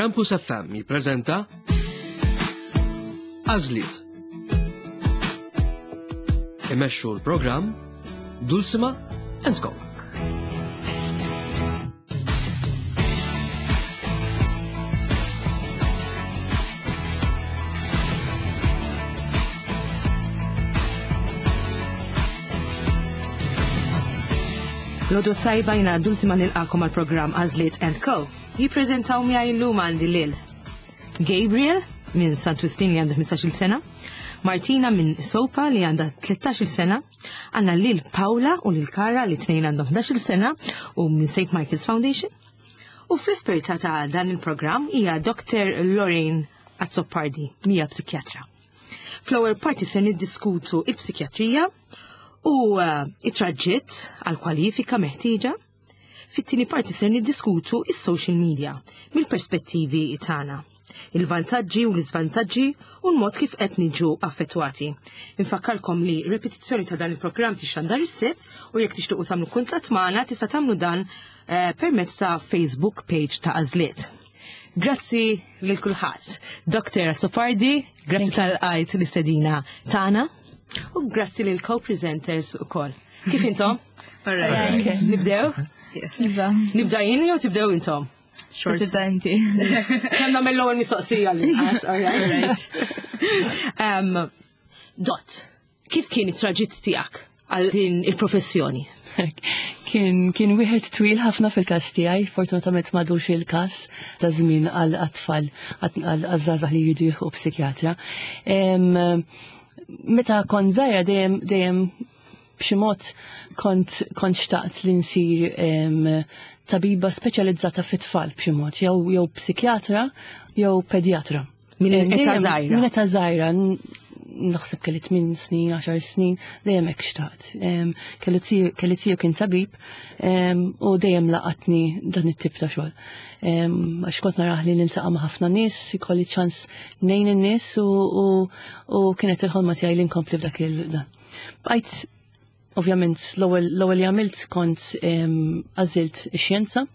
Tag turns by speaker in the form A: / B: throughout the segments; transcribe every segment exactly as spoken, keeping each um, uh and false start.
A: Campus F M jippreżenta Għażliet. Imexxu l-programm Dulcima and Co.
B: L-għodwa t-tajba, jiena Dulcima, nilqagħkom għal-programm Għażliet and Co. Jippreżentaw miegħi llum għandi lil Gabriel minn Sant Wistin li għandu ħmistax-il sena, Martina minn Sopa li għandha tlettax-il sena, għandna lil Paula u lil Kara li tnejn għandhom ħdax-il sena u minn Saint Michael's Foundation. U fl-esperta ta' dan il-programm hija Doctor Lorraine Azzopardi, hija psikjatra. Fl-ewwel parti se niddiskutu il-psikjatrija u uh, it-traġitt għal kwalifika meħtieġa. Fit-tieni parti ser niddiskutu is-social media mill-perspettivi tagħna, il-vantaġġi u l-iżvantaġġi u l-mod kif qed niġu affettwati. Infakkarkom li repetizzjoni ta' dan il-programm tixandar is-Sibt u jekk tixtiequ tagħmlu kuntatt magħna tista' tagħmlu dan eh, permezz ta' Facebook page ta' Għażliet. Grazzi lil kulħadd. Doctor Azzopardi, grazzi talli lqajt l-istedina tagħna u grazzi lil co-presenters ukoll. Kif intom?
C: Alright.
B: Nibdew?
C: Iva.
B: Nibda jien jew tibdew intom?
C: Short. Tibda inti.
B: Kemm nagħmel l-ewwel mistoqsija li nqas, alright. Um, Dot, kif kien it-traġitt tiegħek għal din il-professjoni?
D: Kien, kien wieħed twil ħafna fil-każ tiegħi, fortunatament m'għadux il-każ ta' żmien għal tfal għal żgħażagħ li jridu jieħu psikjatra. Em, Meta kont żgħira dejjem dejjem b'xi mod kont kont xtaqt li nsir em, tabiba speċjalizzata fit-tfal b'xi mod, jew jew psikjatra jew pedjatra.
B: Minn
D: Em,
B: età
D: dejjem-
B: żgħira?
D: Minn età żgħira, n- naħseb kelli tmien snin, għaxar snin, dejjem hekk xtaqt. Em, Kellu tiju- Kelli tiju kien tabib em, u dejjem laqatni dan it-tip ta' xogħol. Em, Għax kont narah li niltaqa' ma' ħafna nies, ikolli ċans ngħin in-nies u, u, u kienet il-ħolma tiegħi li nkompli f'dak il-dan. Bqajt ovvjament l-ewwel l-ewwel li għamilt kont em, għażilt ix-xjenza.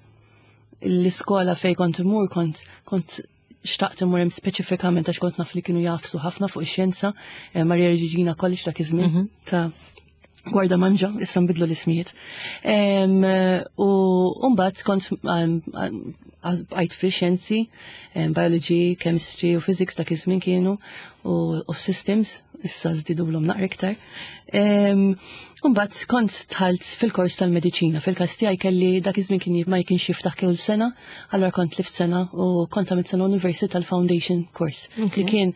D: L-iskola fej kont imur kont kont xtaqt imur hemm speċifikament għax kont naf li kienu jagħfsu ħafna fuq ix-xjenza, eh, Maria Regina College dak iż-żmien ta' Gwardamanġa, issa nbidlu l-ismijiet. Em, U mbagħad kont em, bqajt fi xjenzi, em, biology, chemistry u physics dak iż-żmien kienu u, u systems, issa żdidulhom naqra iktar. Em, Mbagħad kont dħalt fil-kors tal-mediċina. Fil-każ tiegħi kelli dak iż-żmien kien ma kienx jiftaħ kull sena, allura kont tlift sena u kont għamilt sena University tal-Foundation course. Li kien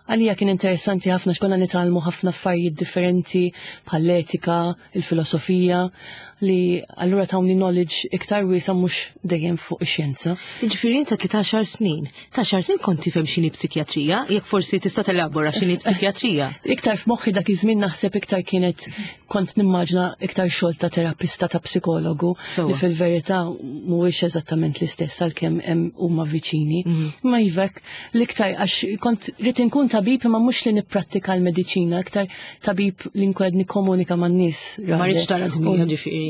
D: għalija kien interessanti ħafna x'konna nitgħallmu ħafna affarijiet differenti bħall-etika, il-filosofija, li allura tawni knowledge iktar wiesa' mhux dejjem fuq ix-xjenza.
B: Ġifieri inta tlettax snin. Ta' għaxar snin kont tifhem x'inhi psikjatrija, jekk forsi tista' telabora x'inhi psikjatrija.
D: Iktar f'moħħi dak iż-żmien naħseb iktar kienet kont nimmaġna iktar xogħol ta' terapista, ta' psikologu,
B: Sewwa.
D: li fil-verità mhuwiex eżattament l-istess għalkemm hemm huma viċini. Ma jivek l-iktar għax kont rrid inkun tabib imma mhux li nipprattika l-mediċina, iktar tabib li nkun nikkomunika man-nies.
B: Ma rridx tara dmija ġifieri.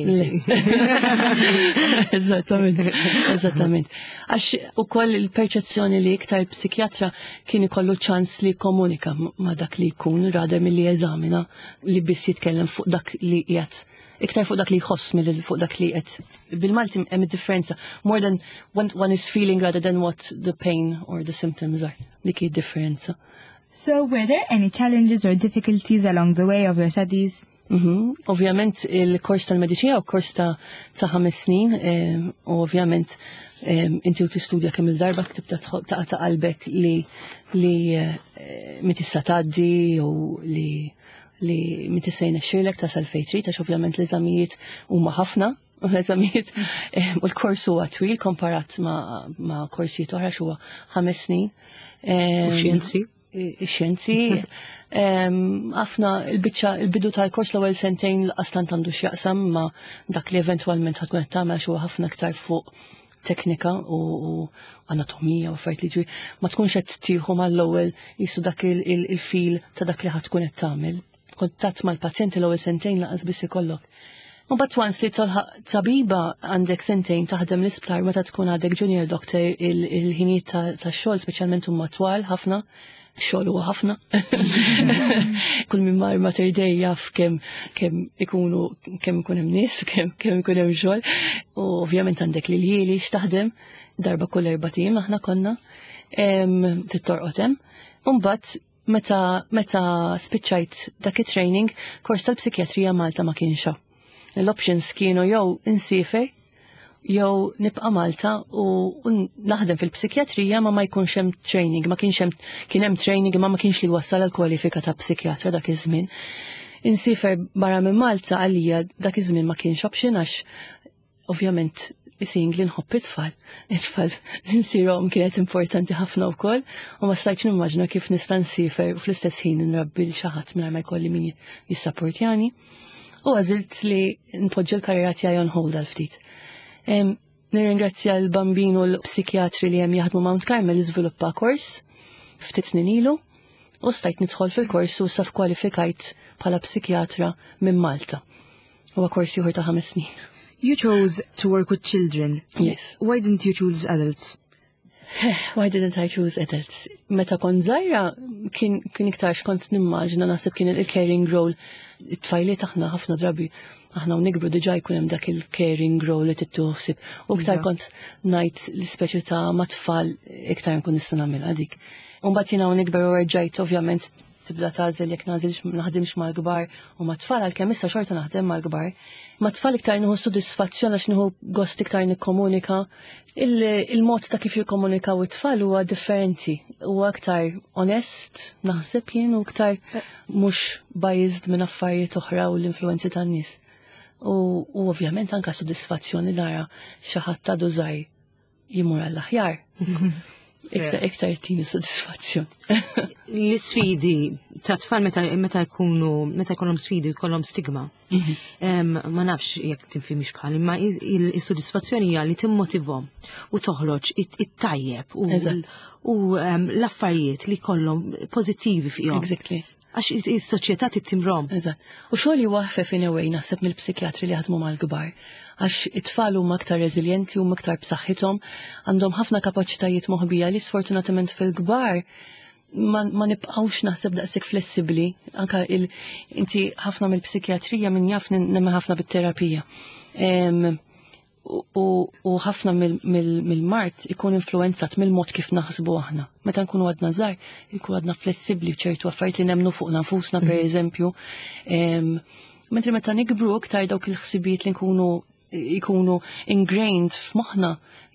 D: Eżattament, eżattament. Għax ukoll il-perċezzjoni li iktar psikjatra kien ikollu ċans li komunika ma' dak li jkun rather milli jeżamina, li biss jitkellem fuq dak li qiegħed, iktar fuq dak li jħoss milli fuq dak li qed. Bil-Malti hemm differenza more than what one is feeling rather than what the pain or the symptoms are. Dik hi differenza.
C: So, were there any challenges or difficulties along the way of your studies?
D: Mhm. Ovvjament il-kors tal-mediċina u kors ta' ta' ħames snin, em, u ovvjament em, inti u tistudja kemm il-darba tibda tħo- taqa' ta' qalbek li li eh, mi tista' tgħaddi u li li mi tista' jnexxilek tasal fejn trid, għax ovvjament l-eżamijiet huma ħafna u l-eżamijiet em, u l-kors huwa twil komparat ma' ma' korsijiet oħra, huwa ħames snin.
B: U xjenzi?
D: Ix-xjenzi. Em, ħafna il-biċċa il-bidu tal-kors, l-ewwel sentejn l-qastant għandu x'jaqsam ma' dak li eventwalment ħa tkun qed tagħmel, xi huwa ħafna aktar fuq teknika u, u anatomija u affarijiet li ġwi ma tkunx qed tieħu mal-ewwel jisu dak il- il- il-feel ta' dak li ħa tkun qed tagħmel. Kuntatt mal-pazjenti l-ewwel sentejn lanqas biss ikollok. U but once li tilħaq tabiba, għandek sentejn taħdem l-isptar. Meta tkun għadek junior doctor, il-ħinijiet ta' xogħol speċjalment huma twal ħafna, xogħol huwa ħafna. Kull min mar Mater Dei jaf kemm kemm ikunu kemm ikun hemm nies, kemm kemm ikun hemm xogħol. U ovvjament għandek l-iljieli x'taħdem, darba kull erbat ijiem aħna konna trid torqod hemm. Imbagħad meta meta spiċċajt dak it-training, kors tal-psikjatrija Malta ma kienx hawn. L-options kienu jew insiefer jew nibqa' Malta u naħdem fil-psikjatrija, ma ma jkunx hemm training, ma kienx hemm, kien hemm training ma ma kienx li wassal għal kwalifika ta' psikjatra dak iż-żmien. Insiefer barra minn Malta għalija dak iż-żmien ma kienx option għax ovvjament seeing li nħobb it-tfal. It-tfal nsirhom kienet importanti ħafna wkoll u ma stajtx nimmaġna kif nista' nsiefer u fl-istess ħin nrabbi lil xi ħadd mingħajr ma jkolli min jissapportjani. U għażilt li npoġġi l-karriera tiegħi on hold għal ftit. Nirringrazzja l-Bambin u l-psikjatri li hemm jaħdmu Mount Carmel, iżviluppa kors ftit snin ilu u stajt nidħol fil-kors u saf kwalifikajt bħala psikjatra minn Malta. Huwa kors ieħor ta' ħames snin.
B: You chose to work with children.
D: Yes.
B: Why didn't you choose adults?
D: Why didn't I choose adults? Meta kont żgħira kien, kien iktar x'kont nimmaġina, naħseb kien il-caring role. It-tfajliet aħna ħafna drabi aħna u nikbru diġà jkun hemm dak il-caring role li tittuħsib. U iktar
B: Iva.
D: kont ngħid l-ispeċi ta' mat-tfal iktar nkun nista' nagħmilha dik. U mbagħad jiena u nikber u rġajt ovvjament tibda tagħżel jekk nagħżilx naħdimx mal-kbar u mat-tfal, għalkemm issa xorta naħdem mal-kbar. Mat-tfal iktar nieħu sodisfazzjon għax nieħu gost iktar nikkomunika. Il-mod ta' kif jikkomunikaw it-tfal huwa differenti, huwa aktar onest, naħseb jien, u iktar mhux biased minn affarijiet oħra u l-influenzi tan-nies. U, u ovvjament anka sodisfazzjoni nara xi ħadd ta' żgħir jimur għall-aħjar. Iktar iktar tini sodisfazzjon.
B: L-isfidi ta' tfal meta meta jkunu meta jkollhom sfidi jkollhom stigma. Em, Ma nafx jekk tifhimx bħal, imma il- is-sodisfazzjoni hija li timmotivhom u toħroġ it- it-tajjeb u
D: Eżatt.
B: u em, l-affarijiet li kollhom pożittivi fihom.
D: Exactly.
B: Għax is-soċjetà tittimrom.
D: Eżatt. U xogħol eħfef in a way naħseb mill-psikjatri li jaħdmu mal-kbar. Għax it-tfal huma aktar reżiljenti, huma aktar b'saħħithom, għandhom ħafna kapaċitajiet moħbija li sfortunatament fil-kbar ma, ma nibqawx naħseb daqshekk flessibbli. Anka il, inti ħafna mill-psikjatrija, min jaf, nemmen ħafna bit-terapija. Em, u, u ħafna mill-mard ikun influenzat mill-mod kif naħsbu aħna. Meta nkunu għadna żgħar, ikun għadna flessibbli ċertu affarijiet li nemmnu fuq nfusna, per eżempju. Em, Mentri meta nikbru, iktar dawk il-ħsibijiet li nkunu ikunu ingrained f'moħħna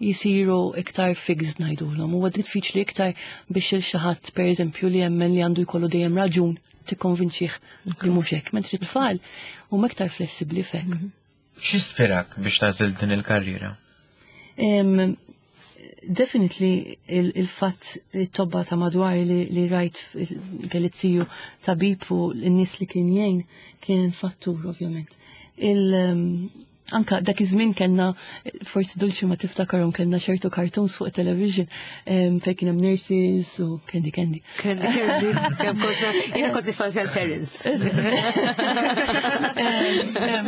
D: jisiru iktar fixed, ngħidulhom. Huwa diffiċli iktar biex il xi ħadd, per eżempju, li jemmen li għandu jkollu dejjem raġun, tikkonvinċih li mhux hekk, mentri tfal huma iktar flessibbli fek.
E: X'ispirak biex tagħżel din il-karriera?
D: Um, definitely il-fatt li t-tobba ta' madwar li, li rajt, kelli ziju tabib u l-nies li kien jgħin kien fattur ovvjament. Il, um, anka dak iż-żmien kellna, forsi Dulċi ma tiftakarhom, kellna ċertu cartoons fuq television um, fejn kien hemm nurses u Candy Candy.
B: Candy Candy, kemm konna, jiena kont nifanzja Terence.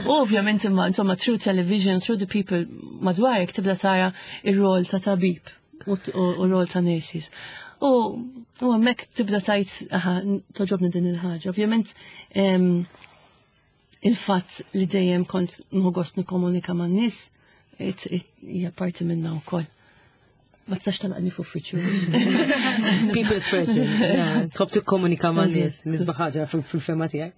D: U ovvjament imma insomma through television, through the people madwarek tibda tara ir-rol ta' tabib u u rol ta' nurses. U u hemmhekk tibda tgħid, aha, togħġobni din il-ħaġa. Ovvjament em, il-fatt li dejjem kont nieħu gost nikkomunika man-nies it- it- hija parti minna wkoll. Ma tistax tagħlaqni f'uffiċċju.
B: People's person. Yeah, tħobb tikkomunika ma' nies, nisba ħaġa fil-fehma tiegħi.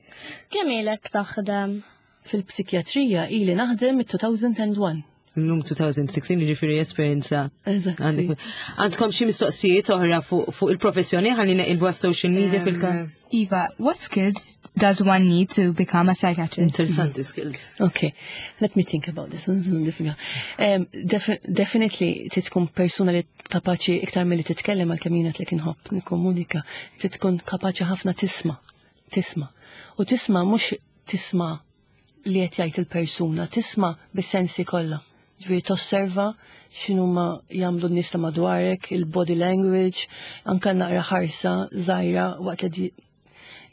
F: Kemm ilek taħdem?
D: Fil-psikjatrija ili naħdem mit-elfejn u wieħed.
B: Illum elfejn u sittax, jiġifieri esperjenza.
D: Eżatt.
B: Għandek. Għandkom xi mistoqsijiet oħra fuq fuq il-professjoni ħalli neqilbu għas-social media fil-ka?
C: Eva, what skills does one need to become a psychiatrist?
B: Interessanti, skills.
D: Okay, let me think about this. Um, defi definitely trid tkun persuna li kapaċi iktar milli titkellem, għalkemm jiena li inħobb nikkomunika, trid tkun kapaċi ħafna tisma', tisma'. U tisma' mhux tisma' li qed jgħid il-persuna, tisma' bis-sensi kollha. Ġifieri tosserva x'inhuma jagħmlu n-nies ta' madwarek, il-body language, anka naqra ħarsa żgħira waqt li di-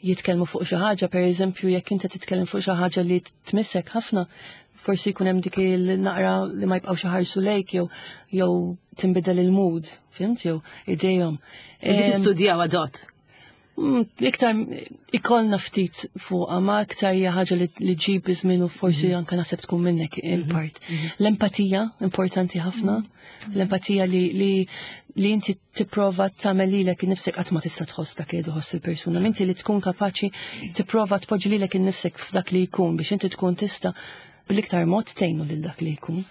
D: jitkellmu fuq xi ħaġa, per eżempju, jekk inti titkellem fuq xi ħaġa li tmissek ħafna, Forsi jkun hemm dik il-naqra li ma jibqgħux iħarsu lejk jew jew tinbidel il-mood, fhimt, jew idejhom.
B: Dik istudjaw adot.
D: Mm, Iktar ikollna ftit fuqha, ma iktar hija ħaġa li li ġib iż-żmien u forsi anke naħseb tkun minnek in part. L-empatija importanti ħafna. L-empatija li li li inti tipprova tagħmel lilek innifsek qatt ma tista' tħoss dak li tħoss il-persuna. Inti li tkun kapaċi tipprova tpoġġi lilek innifsek f'dak li jkun biex inti tkun tista' bl-iktar mod tgħinu lil dak li jkun.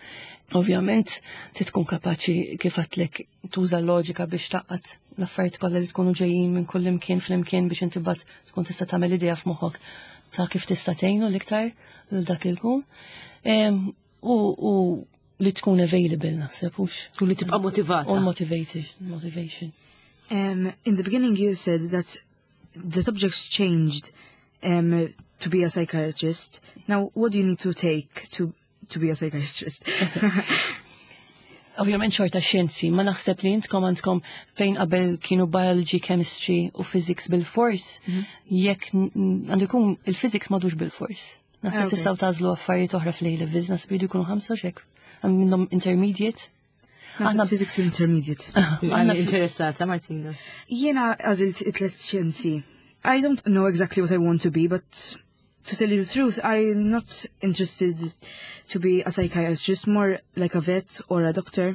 D: Ovvjament, ti tkun kapaċi kif għedtlek tuża l-loġika biex tgħaqqad l-affarijiet kollha li tkunu ġejjin minn kull imkien fl-imkien biex inti bat tkun tista' tagħmel idea f'moħħok ta' kif tista' tgħinu l-iktar lil dak il jkun. Em, U u li tkun available naħseb hux.
B: U li tibqa' motivata.
D: U motivated, motivation.
G: Um, in the beginning, you said that the subjects changed um, to be a psychiatrist. Now, what do you need to take to to be a psychiatrist?
D: Ovvjament xorta xjenzi, ma naħseb li intkom għandkom fejn qabel kienu biology, chemistry u physics bil-fors, jekk n- għandu jkun il-physics m'għadux bil-fors. Naħseb
G: Ah, okay.
D: tistgħu tagħżlu affarijiet oħra fl-A-levels, naħseb jridu jkunu ħamsa xek. Hemm minnhom intermediate.
G: Aħna physics intermediate.
B: Għanna interessata, Martina.
G: Jiena għażilt it-tlet xjenzi. I don't know exactly what I want to be, but to tell you the truth, I'm not interested to be a psychiatrist, more like a vet or a doctor.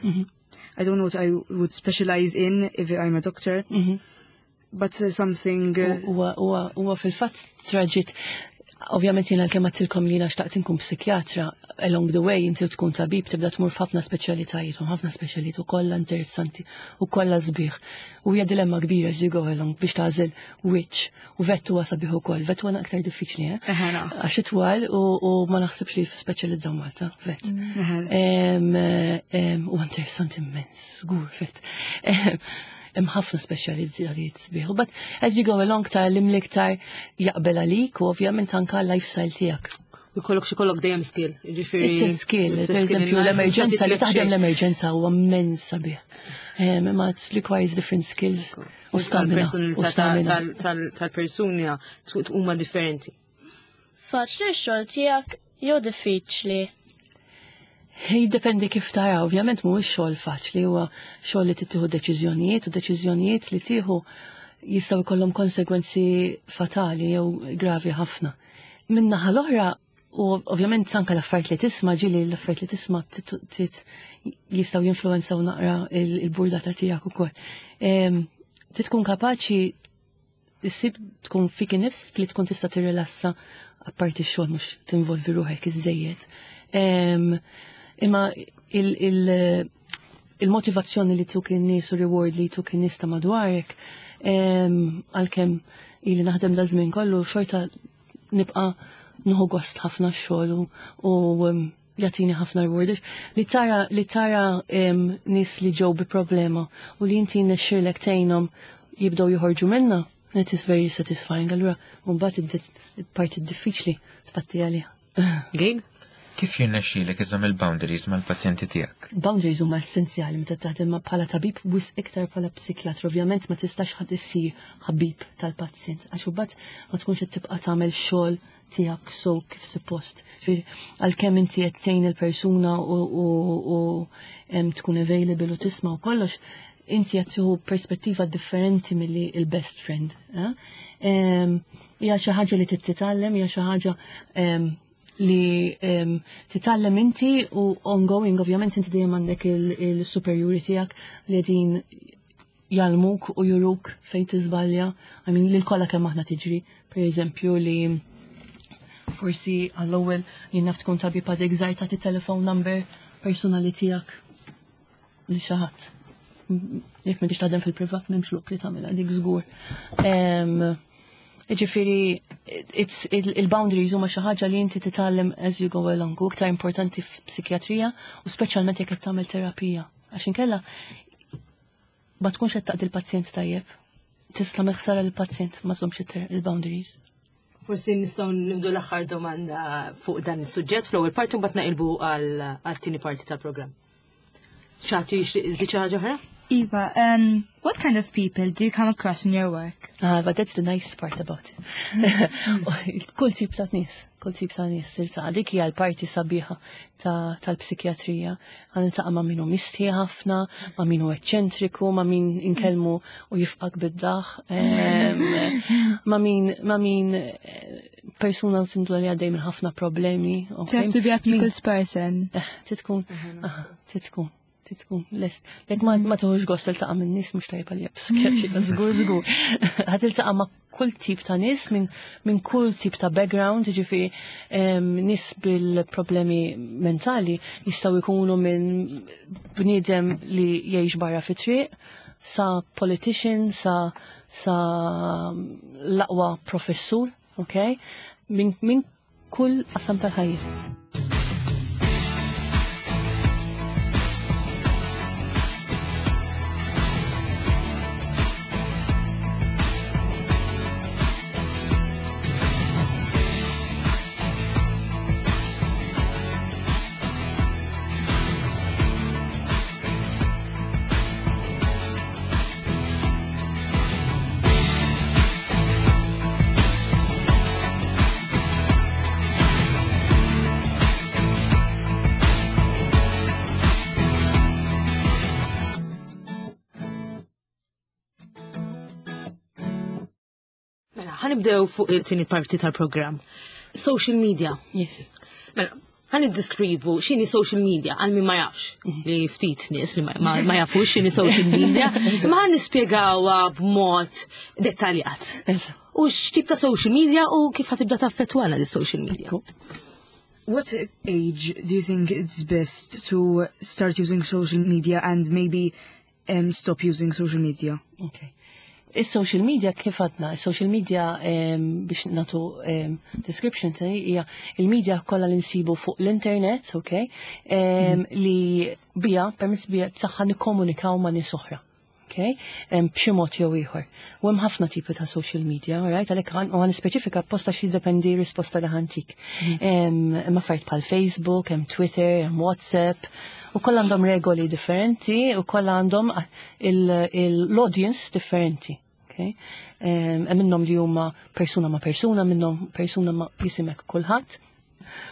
G: I don't know what I would specialize in if I'm a doctor, but uh, something. Uh,
D: Huwa huwa huwa fil-fatt traġit. Ovvjament jiena l-kemm għedtilkom li jiena xtaqt inkun psikjatra, along the way inti tkun tabib tibda tmur f'ħafna speċjalitajiet u ħafna speċjalitajiet u kollha interessanti u kollha sbieħ. U hija dilemma kbira as you go along biex tagħżel which u vet huwa sabiħ ukoll. Vet huwa aktar diffiċli, eh?
G: Eħe, naf.
D: Għax itwal u, u ma naħsibx li speċjalizzaw Malta, vet.
G: Eħe.
D: Em, em, U interessanti immens, żgur vet. Em, Hemm ħafna speċjalizzajiet sbieħ. But as you go along tara l-iktar jaqbel għalik u ovvjament anka lifestyle tiegħek.
B: U jkollok xi kollok dejjem skill. Jiġifieri-
D: It's a skill.
B: It's a
D: Per
B: skill
D: eżempju,
B: in life.
D: l-emerġenza li
B: Titlef
D: taħdem
B: xejn.
D: l-emerġenza huwa immens sabiħ. Em, Imma it requires different skills u stamina. U
B: Tal-personalità
D: stamina.
B: tal- tal- tal-persuna huma differenti.
F: Faċli x-xogħol tiegħek jew diffiċli?
D: Jiddependi kif tara, ovvjament mhuwiex xogħol faċli, huwa xogħol li tittieħu deċiżjonijiet u deċiżjonijiet li tieħu jistgħu jkollhom konsegwenzi fatali jew gravi ħafna. Min-naħa l-oħra, u ovvjament anke l-affarijiet li tisma' ġieli l-affarijiet li tisma' tit- tit- jistgħu jinfluwenzaw naqra il- il-burdata tiegħek ukoll. Em, Trid tkun kapaċi issib tkun fik innifsek li tkun tista' tirrilassa apparti x-xogħol mhux tinvolvi ruħek iżejjed. Em, Imma il- il- il-motivazzjoni li tuk in-nies u reward li tuk in-nies ta' madwarek, em, għalkemm ili naħdem da żmien kollu xorta nibqa' nieħu gost ħafna x-xogħol u, u em, jagħtini ħafna reward. Li tara li tara em, nies li ġew bi problema u li inti nexxirlek tgħinhom jibdew joħorġu minna, it is very satisfying. Allura, mbagħad il-parti diffiċli tpatti għaliha.
B: Gabe?
E: Kif jirnexxielek iżomm il-boundaries mal-pazjenti tiegħek?
D: Boundaries huma essenzjali meta taħdem ma bħala tabib wisq iktar bħala psikjatru. Ovvjament ma tistax ħadd issir ħabib tal-pazjent għax imbagħad ma tkunx qed tibqa' tagħmel xogħol tiegħek so kif suppost. Ġifieri, Għalkemm inti qed tgħin il-persuna u, u, u em, tkun available u tisma' u kollox, inti qed tieħu perspettiva differenti milli il-best friend. eh? Em, Hija xi ħaġa li trid titgħallem, hija xi ħaġa em, li em, titgħallem inti u ongoing, ovvjament inti dejjem għandek il-superiori tiegħek li qegħdin jgħallmuk u juruk fejn tiżbalja. I mean, lil kollha kemm aħna tiġri, per eżempju li forsi għall-ewwel jien naf tkun tabib għadek żgħir tagħti telephone number personali tiegħek li xi ħadd. Jekk m'intix taħdem fil-privat m'hemmx lok li tagħmilha dik żgur. Em, Ġifieri, it's- il- il-boundaries huma xi ħaġa li inti titgħallem as you go along, u iktar importanti f'psikjatrija u speċjalment jekk qed tagħmel terapija. Għax inkella ma tkunx qed taqdi l-pazjent tajjeb. Tista' tagħmel ħsara lill-pazjent ma żommx il-boundaries.
B: Forsi nistgħu nieħdu l-aħħar domanda fuq dan is-suġġett fl-ewwel parti u mbagħad naqilbu għal għat-tieni parti tal-programm. Xi ħadd jixtieq iżid xi ħaġa oħra?
C: Iva, um, What kind of people do you come across in your work?
D: Ah, but that's the nice part about it. Kull tip ta' nies, kull tip ta' nies tiltaqa'. Dik hija l-parti sabiħa tal-psikjatrija. Ħa niltaqa' ma' min hu mistħi ħafna, ma' min hu eċċentriku, ma' min inkellmu u jifqgħek bid-daħk, ma' min ma' min eh, persuna tinduna li għaddej minn ħafna problemi.
C: So you have to be a people's person.
D: Eh, titkun, titkun titkun lest. Jekk ma ma tieħux gost tiltaqa' minn nies mhux tajba li psikjatrija, żgur żgur. Ħa tiltaqa' ma' kull tip ta' nies minn min kull tip ta' background, jiġifieri nies bil-problemi mentali jistgħu jkunu minn bniedem li jgħix barra fi triq, sa politician, sa sa l-aqwa professur, ok? Minn min kull qasam tal-ħajja.
B: Mela, ħa nibdew fuq il-tieni parti tal-programm. Social media.
D: Yes.
B: Mela, ħa niddeskrivu x'inhi social media għal min ma jafx, li ftit nies li ma, ma, ma jafux x'inhi social media, ma ħa nispjegawha b'mod dettaljat. U x'tip ta' social media u kif ħa tibda taffettwana di social media.
G: What age do you think it's best to start using social media and maybe um, stop using social media?
D: Okay. Is-social media kif għadna, is-social media um, biex nagħtu um, description ta' hija il-media kollha li nsibu fuq l-internet, okay, um, li bija, permezz bija tagħha nikkomunikaw ma' nies oħra. Okay? Um, b'xi mod jew ieħor. U hemm ħafna tipi ta' social media, right? Għalhekk ħa nispeċifika apposta xi jiddependi risposta li ħa ntik. Hemm affarijiet bħal Facebook, hemm Twitter, hemm WhatsApp, u kollha għandhom regoli differenti u kollha għandhom l-audience differenti. Okay? Hemm minnhom li huma persuna ma' persuna, minnhom persuna ma' jisimek kulħadd.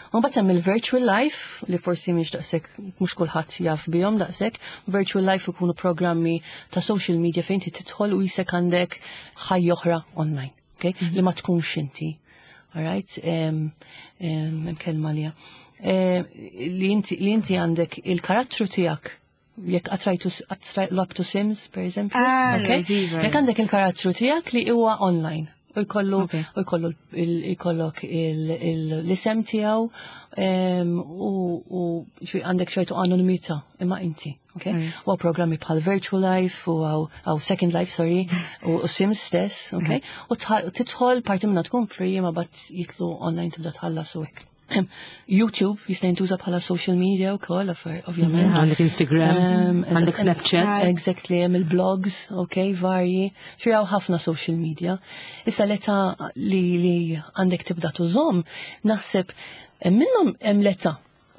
D: U mbagħad hemm il-virtual life li forsi mhix daqshekk mhux kulħadd jaf bihom daqshekk. Virtual life ikunu programmi ta' social media fejn inti tidħol u jisek għandek ħajja oħra online, okay? Li ma tkunx inti. All right? Hemm kelma li li inti li inti għandek il-karattru tiegħek jekk qatt rajtu lgħabtu Sims, per eżempju.
G: Ah,
D: okay?
G: right, iva.
D: Jekk għandek il-karattru tiegħek li huwa online. U jkollu
G: Okay.
D: u jkollu jkollok l-isem tiegħu u u xi għandek ċertu anonimità imma inti, okay?
G: Right.
D: U programmi bħal Virtual Life u għaw Second Life, sorry, u u Sims stess, okay? U tidħol parti minna tkun free ma bat jitlu online tibda tħallas u hekk. YouTube jista' jintuża bħala social media wkoll, ovvjament.
B: Għandek Instagram,
D: Um,
B: għandek Snapchat.
D: Exactly, hemm il-blogs, ok, varji. Xi hawn ħafna social media. Issa l-età li, li għandek tibda tużhom, naħseb hemm minnhom hemm l-età,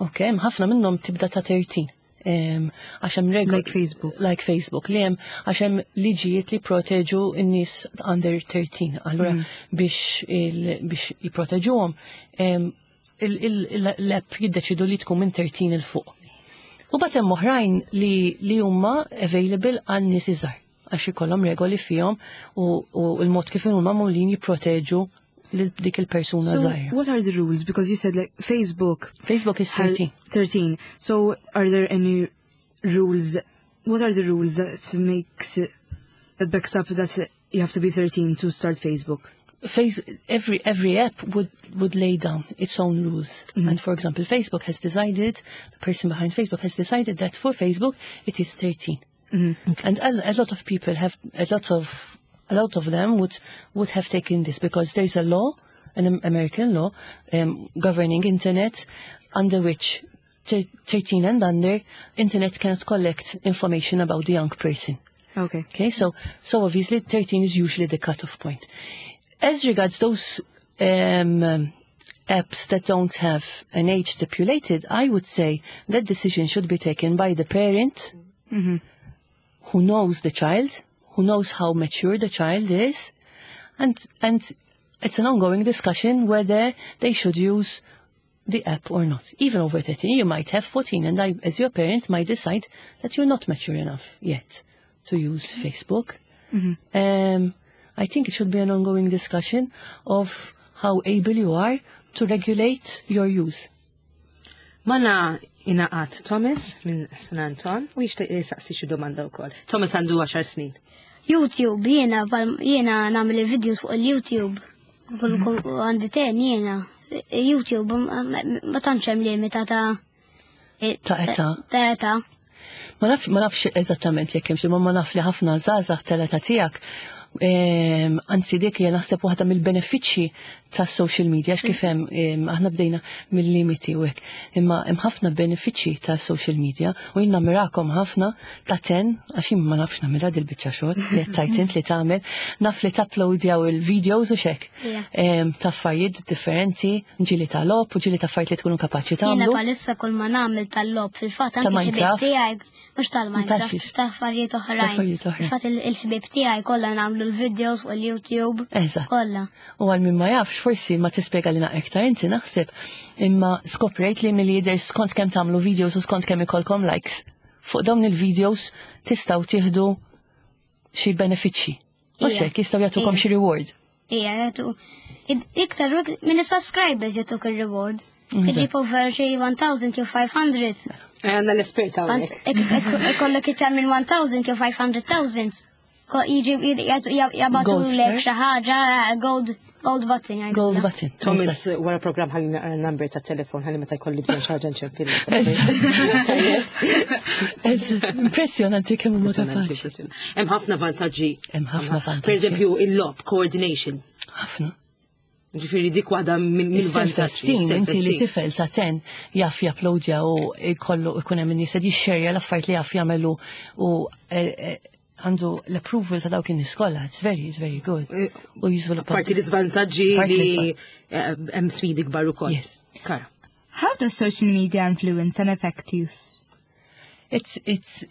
D: ok, hemm ħafna minnhom tibda ta' tlettax. Għax hemm regoli.
G: Like Facebook.
D: Like Facebook, li hemm għax hemm liġijiet li proteġu n-nies under thirteen. Allura biex biex jipproteġuhom, l-app jiddeċidu li tkun minn tlettax 'il fuq. U mbagħad hemm oħrajn li li huma available għal nies iżgħar għax ikollhom regoli fihom u, u l-mod kif huma magħmulin jipproteġu lil dik il-persuna
G: So
D: żgħira.
G: what are the rules? Because you said like Facebook
D: Facebook is
G: had
D: thirteen.
G: thirteen. So are there any rules? What are the rules that makes it, that backs up that you have to be thirteen to start Facebook?
D: Face, every every app would would lay down its own rules. And for example, Facebook has decided, the person behind Facebook has decided that for Facebook it is thirteen. And a, a lot of people have, a lot of, a lot of them would, would have taken this because there's a law, an American law, um, governing internet, under which thirteen and under, internet cannot collect information about the young person.
G: Okay.
D: Okay, so, so obviously thirteen is usually the cutoff point. As regards those, um, apps that don't have an age stipulated, I would say that decision should be taken by the parent
G: Mm-hmm.
D: who knows the child, who knows how mature the child is, and and it's an ongoing discussion whether they should use the app or not. Even over thirteen, you might have fourteen, and I, as your parent, might decide that you're not mature enough yet to use Facebook. Um, I think it should be an ongoing discussion of how able you are to regulate your use.
B: Magħna ingħaqad Thomas minn San Anton u jixtieq jisaqsi xi domanda wkoll. Thomas għandu għaxar snin.
F: YouTube, jiena, pal- jiena nagħmel videos fuq il-YouTube. Kull kull- għandi ten jiena. YouTube, ma ma tantx hemm limita ta'
D: Ta' età.
F: Ta' età.
D: Ma naf, ma nafx eżattament jekk hemmx, imma ma naf li ħafna żgħażagħ tal-età tiegħek. Ehm, Anzi dik hija naħseb waħda mill-benefiċċji tas-social media għax kif hemm ehm, aħna bdejna mill-limiti u hekk. Imma hemm ħafna benefiċċji tas-social media u jien nammirakom ħafna ta' ten għax jien ma nafx nagħmilha dil-biċċa xogħol li qed tajt int li tagħmel, naf li tapplowdjaw il-videos u xek.
F: Ija.
D: Ehm, Ta' affarijiet differenti, ġieli ta' logħob u ġieli ta' affarijiet li tkunu kapaċi
F: Jiena
D: tagħmlu.
F: bħalissa kull ma nagħmel tal-logħob fil-fatt
D: Ta'
F: anke il-ħbieb
D: Minecraft?
F: tiegħi mhux tal-Minecraft,
D: Tax-
F: ta' affarijiet oħrajn.
D: Ta' affarijiet oħrajn.
F: Fil-fatt il- il-ħbieb tiegħi kollha nagħmlu l-videos fuq il-YouTube.
D: Eżatt.
F: Kollha.
D: U għal min ma jafx, forsi ma tispjega li iktar inti naħseb, imma skoprejt li mill-jidher skont kemm tagħmlu videos u skont kemm ikolkom likes. Fuq dawn il-videos tistgħu tieħdu xi benefiċċji. Mhux
F: Ija.
D: hekk jistgħu jagħtukom
F: Ija.
D: xi reward.
F: Ija, jagħtu. Iktar minn is-subscribers jagħtuk il-reward.
D: Eżatt.
F: Iġib over xi elf jew ħames mija.
B: Għandna l-esperta
F: Għant-
B: hawnhekk.
F: ik- ik- Ikollok iktar minn elf jew ħames mija elf. Ko- Jiġi jibagħtu
D: Gold
F: lek
D: star?
F: xi ħaġa gold gold button. jgħidulha.
D: Gold button.
B: Thomas, wara program ħalli naqra number ta' telefon ħalli meta jkolli bżonn xi ħaġa nċempillu.
D: Eżatt. Impressjonanti kemm huma
B: Impressjonanti,
D: kapaċi.
B: impressjonanti. Hemm ħafna vantaġġi.
D: Hemm ħafna vantaġġi.
B: Per eżempju, il-logħob, coordination.
D: Ħafna.
B: Ġifieri dik waħda minn vantaġġi.
D: Self-esteem, inti li tifel ta' ten jaf japplowdja u jkollu ikun hemm in-nies qed jixxerja l-affarijiet li jaf jagħmelu u eh, eh, għandu l-approval ta' dawk in-nies kollha. It's very, it's very good. U jiżviluppa.
B: Parti l-iżvantaġġi
D: Parti
B: li
D: l-iżvan-
B: eh, hemm sfidi kbar ukoll.
D: Yes.
B: Kara.
C: How does social media influence and affect youth?
D: It's, it's,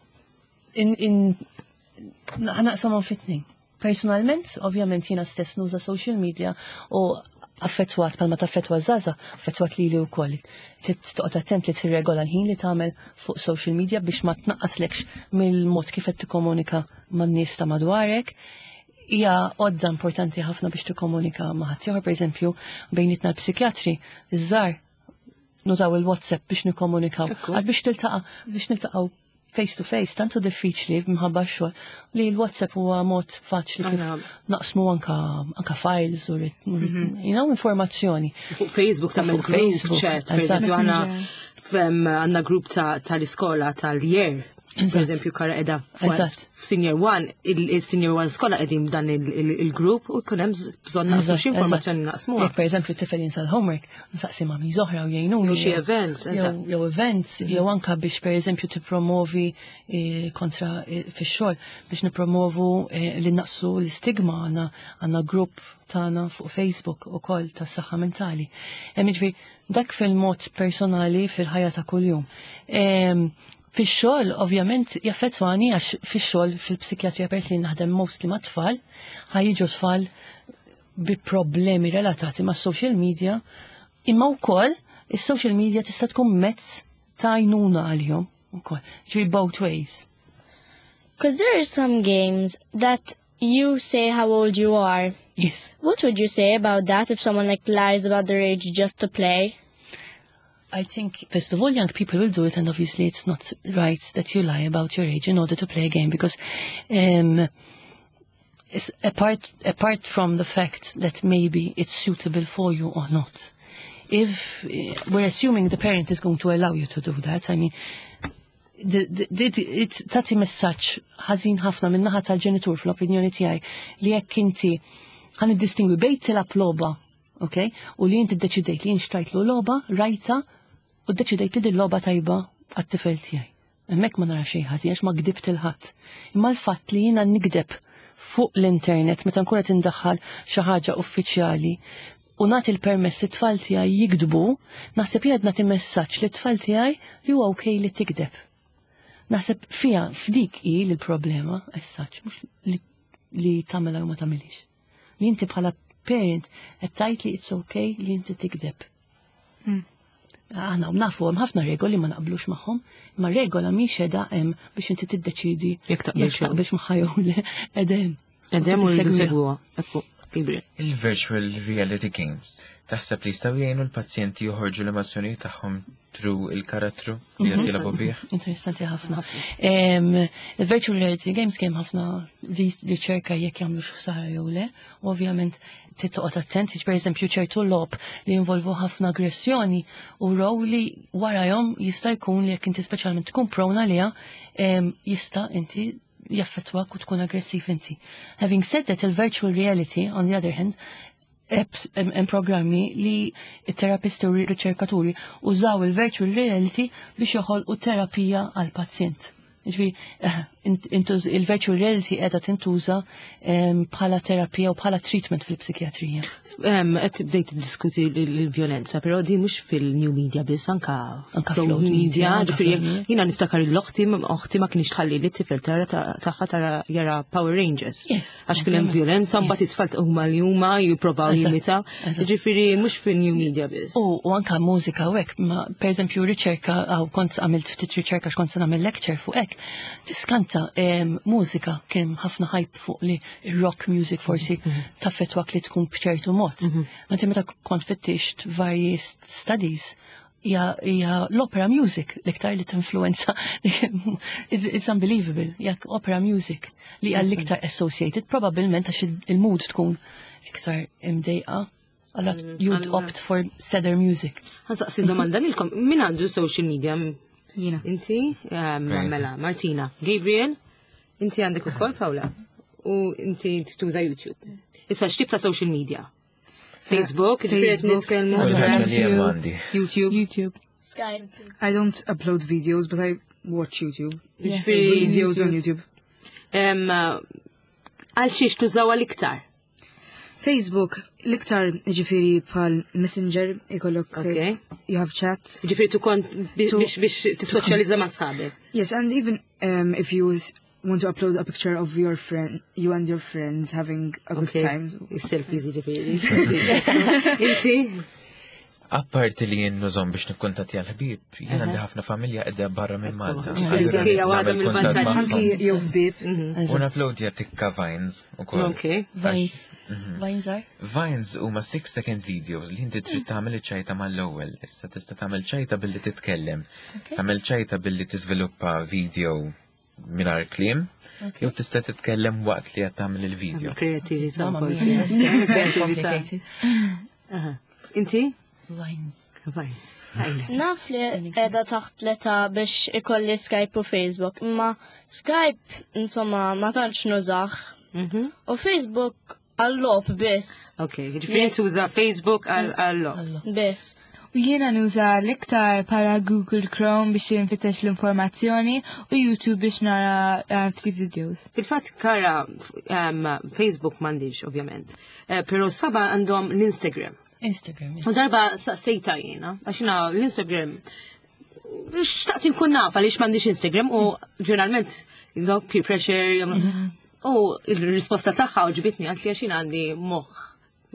D: in, in, naqsamhom fi tnejn. Personalment, ovvjament jiena stess nuża social media u affettwat bħalma taffettwa żgħażagħ, affettwat lili wkoll. Toqgħod attent li tirregola l-ħin li tagħmel fuq social media biex ma tnaqqaslekx mill-mod kif qed tikkomunika man-nies ta' madwarek. Hija għodda importanti ħafna biex tikkomunika ma' ħaddieħor, pereżempju, bejnietna l-psikjatri, iż-żgħar nużaw il-WhatsApp biex nikkomunikaw.
B: Ekku.
D: Għal biex tiltaqa' biex niltaqgħu face to face, tantu diffiċli minħabba x-xogħol li l-WhatsApp huwa mod faċli kif
B: Għana.
D: naqsmu anka anka files u rit- you know, informazzjoni.
B: Fuq Facebook tagħmel
D: Fuq
B: group
D: Facebook,
B: chat, per
D: eżatt.
B: eżempju għandna fem għandna grupp ta' tal-iskola tal-year. Per
D: Eżatt.
B: eżempju Kara qiegħda
D: Eżatt.
B: f'senior one, il-senior one skola qegħdin dan il- il- il-grupp u jkun hemm bżonn naqsmu
D: Eżatt,
B: xi informazzjoni
D: eżatt.
B: naqsmuha.
D: Jekk per eżempju t-tifel jinsa l-homework, nsaqsi ma' oħra u jgħinuni.
B: Jew xi events,
D: Jew
B: eżatt.
D: jew events, jew anka biex per eżempju tippromovi eh, kontra eh, fix-xogħol biex nipromovu eh, li naqsu l-istigma għandna għandna grupp tagħna fuq Facebook ukoll tas-saħħa mentali. Hemm jiġifieri dak fil-mod personali fil-ħajja ta' kuljum. Em, Fix-xogħol ovvjament jaffettwani għax fix-xogħol fil-psikjatrija pers li naħdem mostly ma' tfal, ħa jiġu tfal bi problemi relatati ma' social media, imma wkoll is-social media tista' tkun mezz ta' għajnuna għalihom ukoll. Ġifieri both ways.
F: Because there are some games that you say how old you are.
D: Yes.
F: What would you say about that if someone like lies about their age just to play?
D: I think, first of all, young people will do it, and obviously it's not right that you lie about your age in order to play a game because um, it's apart, apart from the fact that maybe it's suitable for you or not. If eh, we're assuming the parent is going to allow you to do that, I mean, the, the, the, it tagħti messaġġ ħażin ħafna min-naħa tal-ġenitur fl-opinjoni tiegħi li jekk inti ħa niddistingwi bejn tilgħab logħba, ok? U li inti ddeċidejt li jien xtrajtlu logħba, rajta, u ddeċidejt li din logħba tajba għat-tifel tiegħi. Hemmhekk ma nara xejn ħażin għax ma gdibt lil ħadd. Imma l-fatt li jiena nigdeb fuq l-internet meta nkun qed indaħħal xi ħaġa uffiċjali u nagħti l-permess it-tfal tiegħi jigdbu, naħseb jien qed nagħti messaġġ li t-tfal tiegħi li huwa okej li tikdeb. Naħseb fija f'dik hi l-problema, as such, mhux li li tagħmilha jew ma tagħmilix. Li inti bħala parent qed tgħid li it's okay li inti tikdeb. Aħna nafu hemm ħafna regoli ma naqblux magħhom, imma regola mhix qiegħda hemm biex inti tiddeċidi
B: Jekk taqbilx
D: jekk taqbilx magħha jew le qiegħda hemm.
B: Edem u
D: Tissegwiha.
B: segwuha. Ekku, Gabriel.
E: Il-virtual reality games. Taħseb li jistgħu jgħinu l-pazjenti joħorġu l-emozzjonijiet tagħhom through il-karattru li qed jilagħbu bih?
D: Interessanti ħafna. Em, Il-virtual reality games kemm ħafna ri- riċerka jekk jagħmlu ħsara jew le, u ovvjament trid toqgħod attent, per eżempju ċertu logħob li jinvolvu ħafna aggressjoni u raw li warahom jista' jkun li jekk inti speċjalment tkun prone għaliha, em, jista' inti jaffettwak u tkun aggressiv inti. Having said that, il-virtual reality, on the other hand, apps hemm hemm programmi li it-terapisti u riċerkaturi użaw il-virtual reality biex joħolqu terapija għal pazjent. Ġifieri, eh, int- intuż- il-virtual reality qiegħda tintuża em, bħala terapija u bħala treatment fil-psikjatrija.
B: Em, Qed bdejt diskuti l-vjolenza, però di mhux fil-new media biss, anka
D: Anka
B: fl-old
D: fl-old media,
B: media.
D: anka
B: Ġifieri,
D: fl-old media.
B: jiena niftakar l-oħti, oħti ma kienx tħalli li t-tifel tara tagħha tara jara Power Rangers.
D: Yes,
B: Għax kien hemm
D: ovvjament.
B: vjolenza, mbagħad
D: Yes.
B: it-tfal huma li huma jipprovaw
D: Eżatt,
B: jimitaw.
D: eżatt.
B: Ġifieri mhux fil-new media biss.
D: U, u anka mużika u hekk, ma per eżempju riċerka, għaw kont għamilt ftit riċerka x'kont se nagħmel lecture fuq hekk, tiskanta em, mużika kien ħafna hype fuq li rock music forsi taffetwak li tkun b'ċertu mod. Ma inti meta kont fittixt varji studies, hija hija l-opera music l-iktar li tinfluenza. it's, it's unbelievable. Jekk opera music li hija l-iktar associated, probabbilment għax il- il-mood tkun iktar imdejqa. Allora you'd opt for sadder music.
B: Ħa nsaqsi domanda lilkom, min għandu social media?
G: Jiena.
B: Inti? Em,
E: Okay.
B: Mela, Martina. Gabriel? Inti għandek ukoll Paula? U inti tuża YouTube. Issa x'tip ta' social media? Facebook, ġifieri qed
G: Facebook,
B: nitkellmu.
E: Ħaġa li hemm għandi.
G: YouTube.
C: YouTube.
F: Skype.
G: I don't upload videos, but I watch YouTube.
B: Ġifieri,
G: Videos on YouTube.
B: em, Għal xiex tużaw għal-iktar?
G: Facebook, l-iktar ġifieri bħal Messenger, ikollok,
B: Okay.
G: you have chats.
B: Ġifieri tukon biex
G: To-
B: biex tissoċjalizza ma' sħabek.
G: Yes, and even um, if you s- want to upload a picture of your friend, you and your friends having a good
B: Okay.
G: time.
B: Is-selfies ġifieri. Inti?
E: Apparti li jien nużahom biex nikkuntattja l-ħbieb, jien għandi ħafna familja qiegħda barra minn Malta.
B: Ekku.
E: Allura
B: Hija
E: nista'
B: waħda
E: nagħmel kuntatt
B: mill-vantaġġi.
E: magħhom.
G: Anki jew ħbieb.
E: U napplowdja tikka Vines ukoll.
B: Okay.
D: Vines. Vines are?
E: Vines huma six second videos li inti trid tagħmel iċ-ċajta mal-ewwel. Issa tista' tagħmel ċajta billi titkellem. Tagħmel ċajta billi tiżviluppa video mingħajr kliem, jew tista' titkellem waqt li qed tagħmel il-video.
B: Kreativita.
D: Mamma
B: wkoll.
D: mia. Very
B: Kreativita.
D: complicated.
B: Aha. Inti?
D: Vines.
B: Vines. Vines.
H: Naf li qiegħda taħt l-età biex ikolli Skype u Facebook, imma Skype, insomma, ma tantx nużah.
B: Mhm.
H: U Facebook għal-logħob biss,
B: Ok, ġifieri tuża Facebook għal
D: Allo.
H: biss.
C: U jiena nuża l-iktar bħala Google Chrome biex nfittex l-informazzjoni u YouTube biex nara eh, ftit videos.
B: Fil-fatt kara um, Facebook m'għandix, ovvjament. Eh, Pero saba għandhom l-Instagram.
D: Instagram. yes.
B: U darba saqsejta jiena, għax jiena l-Instagram xtaqt inkun naf għaliex m'għandix Instagram u ġeneralment you know, peer pressure u il-risposta tagħha għoġbitni għalt li għax jiena għandi moħħ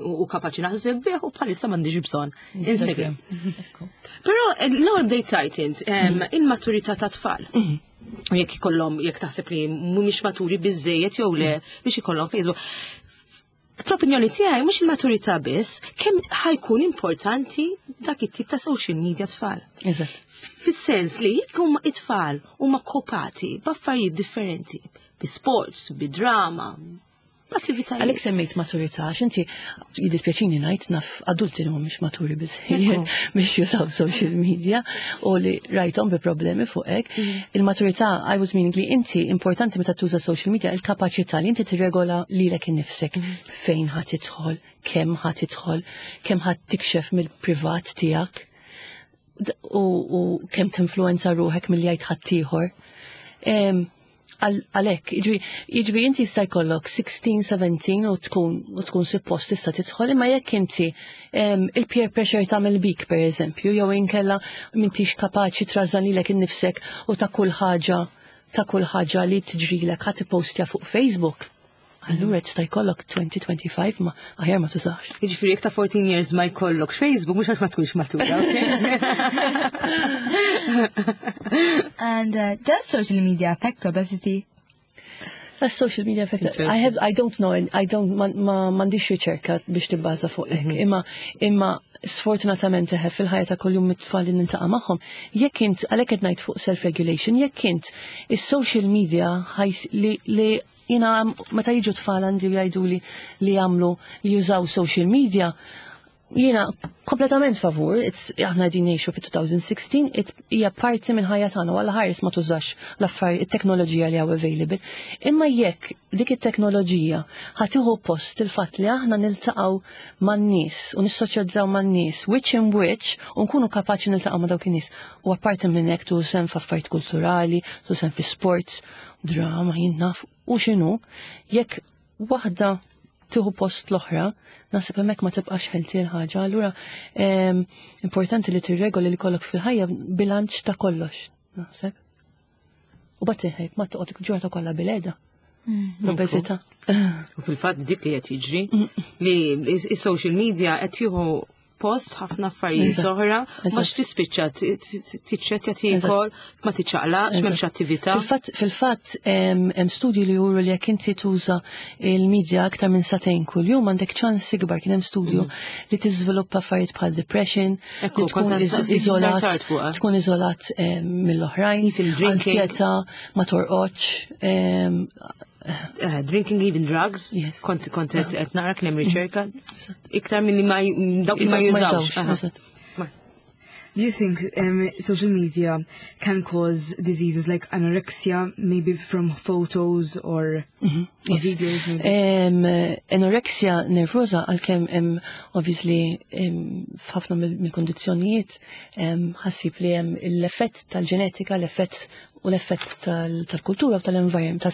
B: u u kapaċi naħseb bih u bħalissa m'għandix bżonn Instagram.
D: Ekku.
B: Però eh, l-ewwel bdejt tajt int em, il-maturità ta' tfal. U jekk ikollhom jekk taħseb li mhumiex maturi biżejjed jew le biex ikollhom Facebook. Fl-opinjoni tiegħi mhux il-maturità biss, kemm ħa jkun importanti dak it-tip ta' social media tfal.
D: Eżatt.
B: Fis-sens li jekk huma it-tfal huma kopati b'affarijiet differenti, bi sports, bi drama, b'attivitajiet.
D: Għalek semmejt maturità, għax inti jiddispjaċini ngħid naf adulti li mhumiex maturi biżejjed biex jużaw social media u li rajthom bi problemi fuq hekk. Il-maturità, I was meaning li inti importanti meta tuża social media il-kapaċità li inti tirregola lilek innifsek fejn ħa tidħol, kemm ħa tidħol, kemm ħa tikxef mill-privat tiegħek d- u, u kemm tinfluenza ruħek milli jgħid ħaddieħor. Em, għal- Għalhekk, jiġifieri inti jista' jkollok sittax, sbatax u tkun u tkun suppost tista' tidħol, imma jekk inti em, il-peer pressure tagħmel bik per eżempju, jew inkella m'intix kapaċi trażżan lilek innifsek u ta' kull ħaġa ta' kull ħaġa li tiġrilek ħa tippostja fuq Facebook. Allura tista' jkollok twenty twenty-five, ma aħjar ma tużax.
B: Jiġifieri jekk ta' fourteen years ma jkollok Facebook, mhux għax ma tkunx matura, okay?
C: And uh, does social media affect obesity?
D: That's social media affect. I have, I don't know, I don't, ma, ma m'għandix riċerka biex tibbaża fuq hekk. Imma, imma sfortunatament eħe fil-ħajja ta' kuljum mit-tfal li niltaqa' magħhom, jekk int, għalhekk qed ngħid fuq self-regulation, jekk int is-social media ħajs li, li jina meta jiġu tfal għandi u jgħidu li li jagħmlu li jużaw social media, jiena kompletament favur, it's, aħna qegħdin ngħixu fi twenty sixteen, it hija parti minn ħajja tagħna, għalla ħares ma tużax l-affari, it-teknoloġija li hawn available. Imma jekk dik it-teknoloġija ħa tieħu post il-fatt li aħna niltaqgħu man-nies u nissoċjalizzaw man-nies, wiċċ in wiċċ, u nkunu kapaċi niltaqgħu ma' dawk in-nies. U apparti minn hekk tu sem f'affarijiet kulturali, tu sem fi sports, drama, jien naf u x'inhu, jekk waħda tieħu post l-oħra, naħseb hemmhekk ma tibqax healthy l-ħaġa. Allura em, importanti li tirregoli li kollok fil-ħajja bilanċ ta' kollox, naħseb. U bat ma toqgħod ġurnata kollha bilqiegħda. L-obeżità.
B: U fil-fatt dik li qed jiġri li is-social media qed jieħu post ħafna affarijiet
D: Eżatt.
B: oħra, ma
D: Eżatt.
B: tispiċċa tiċċettja tiekol, ma tiċċaqlaqx, m'hemmx attività.
D: Fil-fatt, fil-fatt, em, hemm studji li juru li jekk inti tuża il-medja aktar minn sagħtejn kuljum għandek ċans ikbar, kien hemm studju, li tiżviluppa affarijiet bħal depression,
B: Ekku,
D: li tkun
B: kont
D: iz-
B: sa-
D: iżolat,
B: tard fuqha.
D: tkun iżolat em, mill-oħrajn,
B: Even drinking.
D: ansjetà, ma torqodx, em,
B: Uh, drinking, even drugs.
D: Yes.
B: Kont kont qed qed nara kien hemm riċerka. Iktar milli ma dawk li ma jużawx. Aha.
D: Eżatt.
G: Do you think um, social media can cause diseases like anorexia, maybe from photos or, or
D: Yes.
G: videos? Maybe?
D: Um, anorexia nervosa, għalkemm um, obviously um, f'ħafna mill- mill-kondizzjonijiet um, ħassib li hemm l-effett tal-ġenetika, l-effett u l-effett tal- tal-kultura u tal-environment,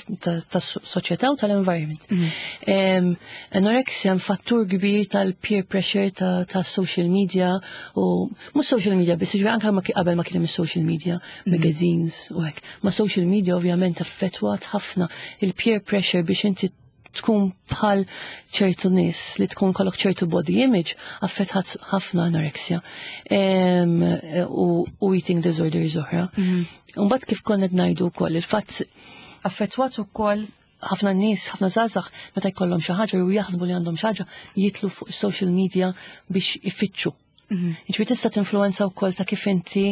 D: tas-soċjetà u tal-environment. Um, anorexia hemm fattur kbir tal-peer pressure ta', ta social media u mhux social media biss, ġifieri anke ma ki- qabel ma kien hemm social media, magazines u hekk. Ma social media ovvjament affettwat ħafna il-peer pressure biex inti tkun bħal ċertu nies, li tkun kollok ċertu body image, affettwat ħafna anorexia Em, u, u eating disorders oħra. Mbagħad kif konna qed ngħidu wkoll il-fatt affettwat ukoll ħafna nies, ħafna żgħażagħ meta jkollhom xi ħaġa jew jaħsbu li għandhom xi ħaġa, jidħlu fuq social media biex ifittxu. Jiġifieri tista' tinfluwenza wkoll ta' kif inti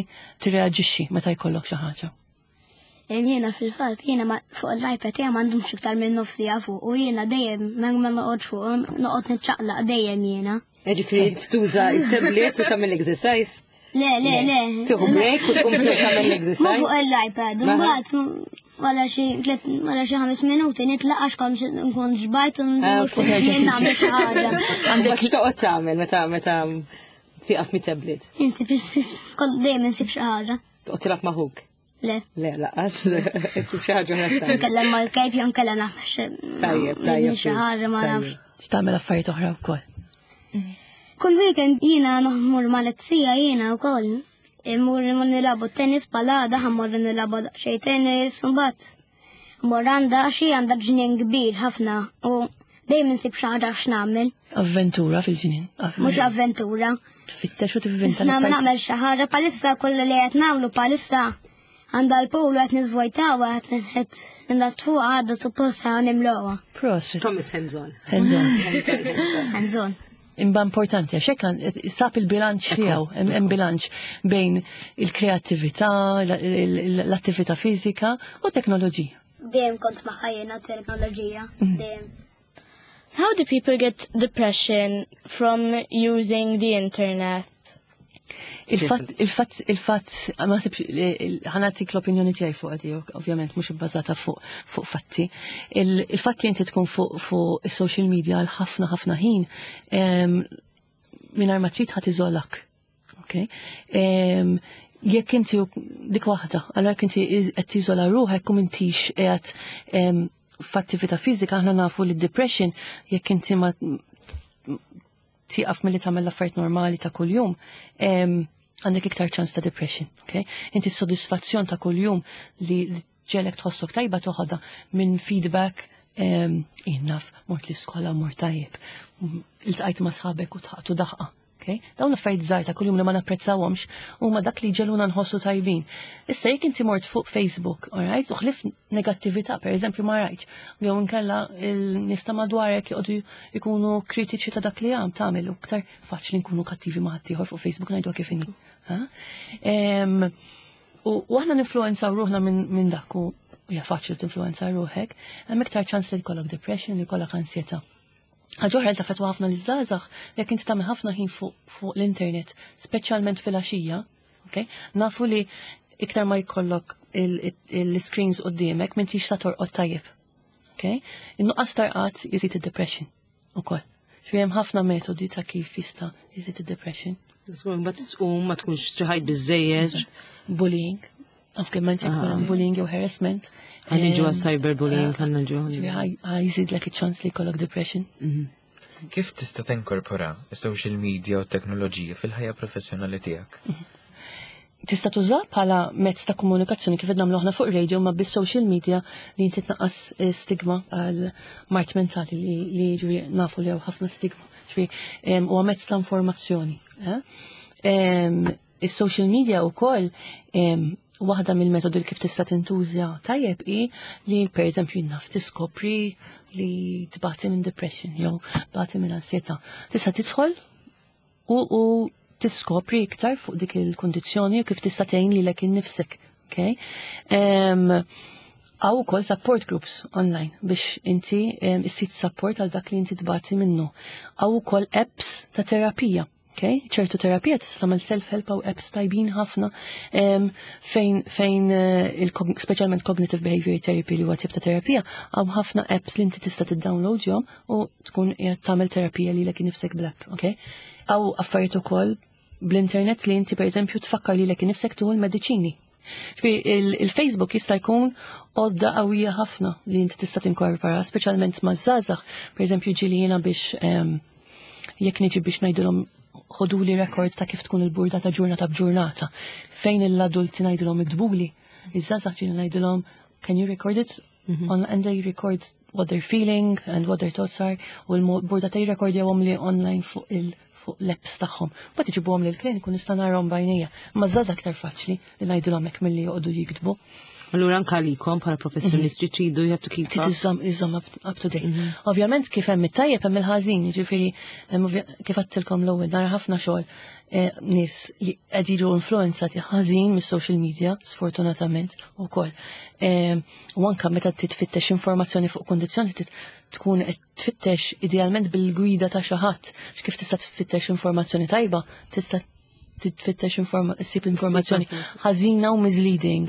D: tirreaġixxi meta jkollok xi ħaġa.
F: Jiena fil-fatt, jiena ma- fuq l-iPad jiena m'għandhomx iktar minn nofs siegħa fuq u jiena dejjem ma ma noqgħodx fuq, noqgħod niċċaqlaq dejjem jiena.
B: Ġifieri tuża il-tablet u tagħmel exercise.
F: Le, le, le.
B: Tieħu break u tqum tagħmel
F: Ma
B: exercise.
F: fuq l-iPad, mbagħad wara xi tliet wara xi ħames minuti nitlaq għax kont nkun xbajt u
B: Ah,
F: nmur nagħmel xi ħaġa.
B: Għandek x'toqgħod tagħmel meta meta tieqaf mit-tablet?
F: Inti kol dejjem insib xi ħaġa.
B: Toqgħod tilgħab ma' ħuk.
F: Le.
B: Le, lanqas. Issib xi ħaġa oħra x'tagħmel.
F: Nkellem mal-kejb jew nkellem nagħmel xi
B: Tajjeb, tajjeb.
F: xi ħaġa, ma nafx.
D: X'tagħmel affarijiet oħra wkoll.
F: Kull weekend jiena noħmur mal-zija jiena wkoll. Immur nilagħbu tennis palada, ħa mmorru nilagħbu xejn tennis, u mbagħad mmur għandha xi għandha ġnien kbir ħafna u dejjem insib xi ħaġa x'nagħmel,
D: Avventura fil-ġnien.
F: Mhux avventura.
D: Tfittex u tivvinta.
F: Nagħmel nagħmel xi ħaġa palissa kollha li qed nagħmlu palissa għandha l-pool qed niżvojtaw, qed qed nnaddfu, għadha suppost ħa nimlowha.
D: Prosit.
B: Thomas hands on.
D: Hands on.
F: Hands on.
D: Imma importanti għax hekk għan- sab il-bilanċ tiegħu, hemm hemm bilanċ bejn il-kreattività, l-attività fiżika u teknoloġija.
F: Dejjem kont magħha jiena teknoloġija, dejjem.
H: How do people get depression from using the internet?
D: Il-fatt, il-fatt, il-fatt, ma sibx, ħa nagħtik l-opinjoni tiegħi fuq għadi, ovvjament mhux ibbażata fuq fuq fatti. Il- Il-fatt li inti tkun fuq fuq is-social media għal ħafna ħafna ħin, em, mingħajr ma trid ħa tiżolak. Okay? Em, Jekk inti dik waħda, allora jekk inti qed tiżola ruħek u m'intix qiegħed em, f'attività fiżika, aħna nafu li depression, jekk inti ma tieqaf milli tagħmel l-affarijiet normali ta' kuljum, em, għandek iktar ċans ta' depression, okay? Inti s-sodisfazzjon ta' kuljum li li ġelek tħossok tajba toħodha minn feedback Jien naf, mort l-iskola, mort tajjeb. Iltqajt ma' sħabek u dħaktu daħqa. Okay? Dawn affarijiet żgħar ta' kuljum li ma napprezzawhomx huma dak li jġegħluna nħossu tajbin. Issa jekk inti mort fuq Facebook, alright, u ħlief negattività, per eżempju ma rajtx, jew inkella il-nies ta' madwarek joqogħdu jkunu kritiċi ta' dak li għam tagħmel u iktar faċli nkunu kattivi ma' ħaddieħor fuq Facebook ngħidu kif inhi. Ha? Em, U u aħna ninfluenzaw ruħna minn min dak u hija faċli tinfluenza ruħek, hemm iktar ċans li jkollok depression, li jkollok ansjetà. Ħaġa oħra li taffettwa ħafna liż-żgħażagħ jekk inti tagħmel ħafna ħin fuq fuq l-internet, speċjalment fil-għaxija, okay? Nafu li iktar ma jkollok il-screens quddiemek m'intix ta' torqod tajjeb. Okay? In-nuqqas ta' rqad jżid id-depression ukoll. Ġifieri hemm ħafna metodi ta' kif jista' jżid id-depression.
B: Mbagħad tqum ma tkunx striħajt biżejjed.
D: Bullying. Ovvjament jekk ikun hemm bullying jew harassment.
B: Ħa niġu
D: Em,
B: għas-cyberbullying, ħa niġu.
D: Ġifieri ħa jżidlek iċ-ċans li jkollok depression.
E: Kif tista' tinkorpora is-social media u t-teknoloġija fil-ħajja professjonali tiegħek?
D: Tista' tuża bħala mezz ta' komunikazzjoni kif qed nagħmlu aħna fuq radio ma bis-social media li inti tnaqqas eh, stigma għal mard mentali li li ġifieri nafu li hawn ħafna stigma. Ġifieri em, huwa mezz ta' informazzjoni. eh? Em, Is-social media wkoll em, waħda mill-metodi li kif tista' tintuża tajjeb hi li pereżempju naf tiskopri li tbati minn depression jew tbati minn ansjetà. Tista' tidħol u, u tiskopri iktar fuq dik il-kondizzjoni u kif tista' tgħin lilek innifsek. Okay? Um, Hawn ukoll support groups online biex inti um, issib support għal dak li inti tbati minnu. Hawn ukoll apps ta' terapija. Okay? ċertu terapija tista' tagħmel self-help u apps tajbin ħafna um, fejn fejn uh, il speċjalment cognitive behavior therapy li huwa tip ta' terapija, hawn ħafna apps li inti tista' tiddownloadjhom u tkun qiegħed tagħmel terapija lilek innifsek bl-app, okay? Hawn affarijiet ukoll bl-internet li inti pereżempju tfakkar lilek innifsek tieħu l-mediċini. Ġifieri il-Facebook jista' jkun għodda qawwija ħafna li inti tista' tinkorpora, speċjalment ma' żgħażagħ, pereżempju ġieli jiena biex em, jekk niġi biex ngħidulhom ħoduli rekord ta' kif tkun il-burdata ġurnata b'ġurnata. Fejn l-adulti ngħidulhom iktbuli, iż-żgħażagħ ġieli ngħidulhom can you record it? On, and they record what they're feeling and what their thoughts are u l-burdata jirrekordjawhom li online fuq il fuq l-apps tagħhom. Mbagħad iġibuhom lil kliniku nista' narahom b'għajnejja. Ma żgħażagħ aktar faċli li ngħidulhom hekk milli joqogħdu jiktbu.
B: Allura anka għalikom bħala professjonisti tridu you have to keep
D: Trid
B: up.
D: iżżomm iżżomm up, up to date. Ovvjament kif hemm it-tajjeb hemm il-ħażin, jiġifieri hemm ovvja- kif għedtilkom l-ewwel nara ħafna xogħol eh, nies li qed jiġu influenzati ħażin mis-social media, sfortunatament ukoll. Eh, U anka meta titfittex informazzjoni fuq kondizzjoni tit tkun qed tfittex idealment bil-gwida ta' xi ħadd. Kif tista' tfittex informazzjoni tajba, tista' titfittex informa issib informazzjoni ħażina u misleading